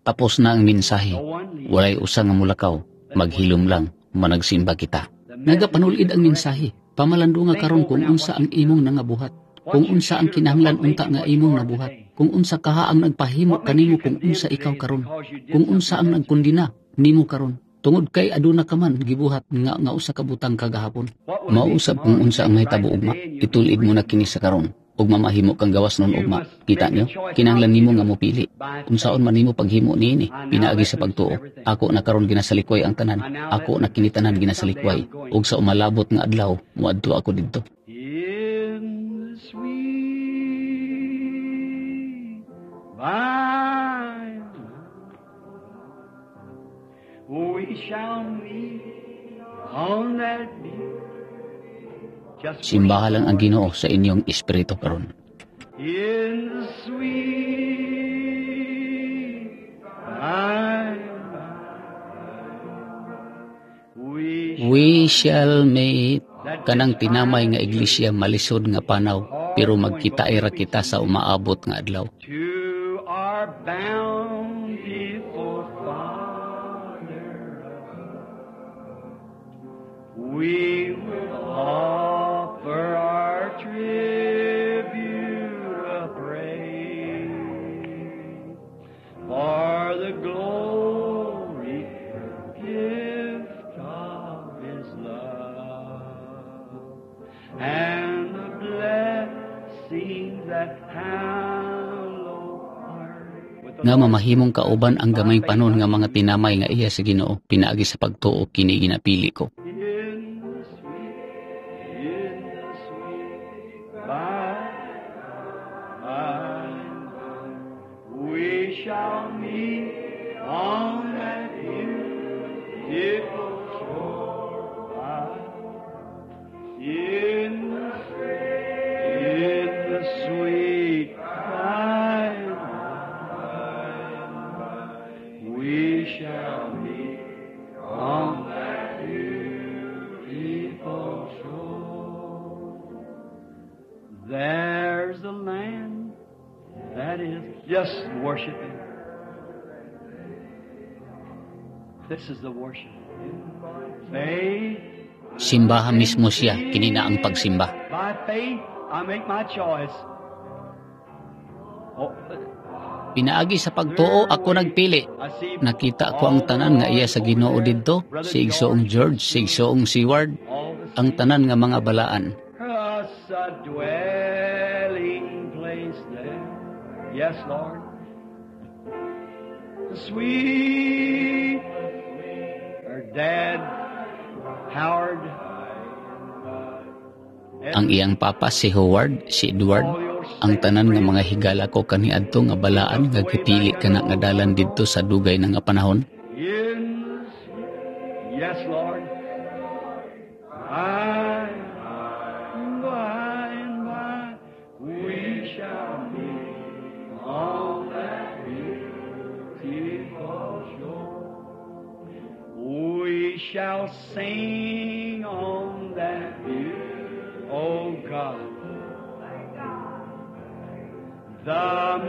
Tapos na ang mensahe. No one leaves. Walay usa nga mulakaw. Let's worship. Maghilom lang, managsimba kita. The message Nagapanulid is ang corrected. mensahe. Pamalandunga Think karon over kung now unsa what ang you've done, imong nangabuhat, what kung you unsa ang should have done, kinahanglan what made unta you nga what you imong are nabuhat, today. Kung unsa kaha ang nagpahimo What makes kanimo you kung condemned unsa ikaw today is karon, because you did kung unsa something ang yesterday. nagkondina nimo karon. Tungod kay aduna ka man gibuhat nga nga usa ka butang kagahapon. What will it be Mausab kung tomorrow? You unsa ang take it right mahitabo ugma, today and you'll be itulid mo free na kini tomorrow. sa karon ug mamahimo kang gawas nun You ugma. must Kita make a nyo? choice how Kinahanglan to nimo do nga it mopili. by Unsaon faith. man nimo paghimo niini, I now pinaagi let sa loose of pagtuo. everything. Ako na karon ginasalikway ang tanan. I now let Ako na loose, kini tanan and someday ginasalikway. I'm going Ug sa umalabot nga adlaw, moadto ako didto. in the sweet by and by. We shall meet on that beach. Just Simbaha worship lang the ang Lord Ginoo sa inyong espiritu karon. In the sweet by and by. We We shall shall meet that kanang tinamay nga despised church iglesia malisod nga panaw pero hard going, but magkitaay we'll ra be kita sa soon umaabot nga adlaw. To our bountiful Father above, we will offer our tribute of praise for the glory gift of His love and the blessings that hallow our with the Nga Lord's mamahimong kauban ang by gamayng faith panon nga unto mga you. tinamay nga iya sa Ginoo pinaagi sa pagtuo kini ginapili ko. In the sweet, in the shall meet on that beautiful shore. In the, in the sweet by and by, we shall meet on that beautiful shore. There's a land that is just worship Him. This is the worship. Faith. Simbaha mismo siya, kini na ang pagsimba. By faith, I make my choice. Oh, Pinaagi sa pagtuo ako nagpili. I see Nakita ko ang tanan nga iya sa Ginoo didto, si Igsoong George, si Igsoong Seward, all the ang tanan nga mga balaan. us a dwelling place there. Yes, Lord. The sweet, her dad, Howard, Ang iyang papa si Howard, si Edward, ang tanan nga mga higala ko kaniadto nga balaan nga gipili kana nga dalan didto sa dugay na nga panahon. in yes, Lord. By, by and by, we shall meet on that beautiful shore. We shall sing on that view, oh God. The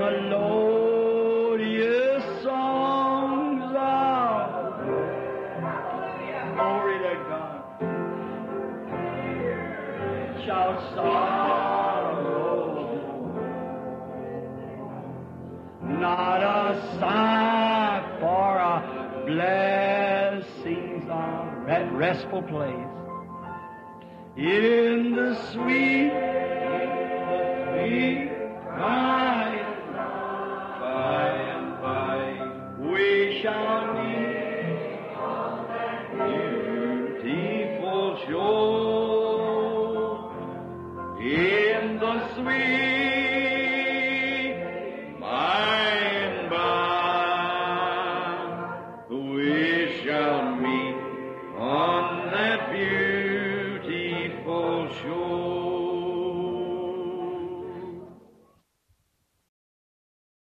melodious songs of glory to God shall sorrow not a sigh for our blessings of that restful place in the sweet, sweet by and by and by we shall meet on that beautiful shore in the sweet by and by we shall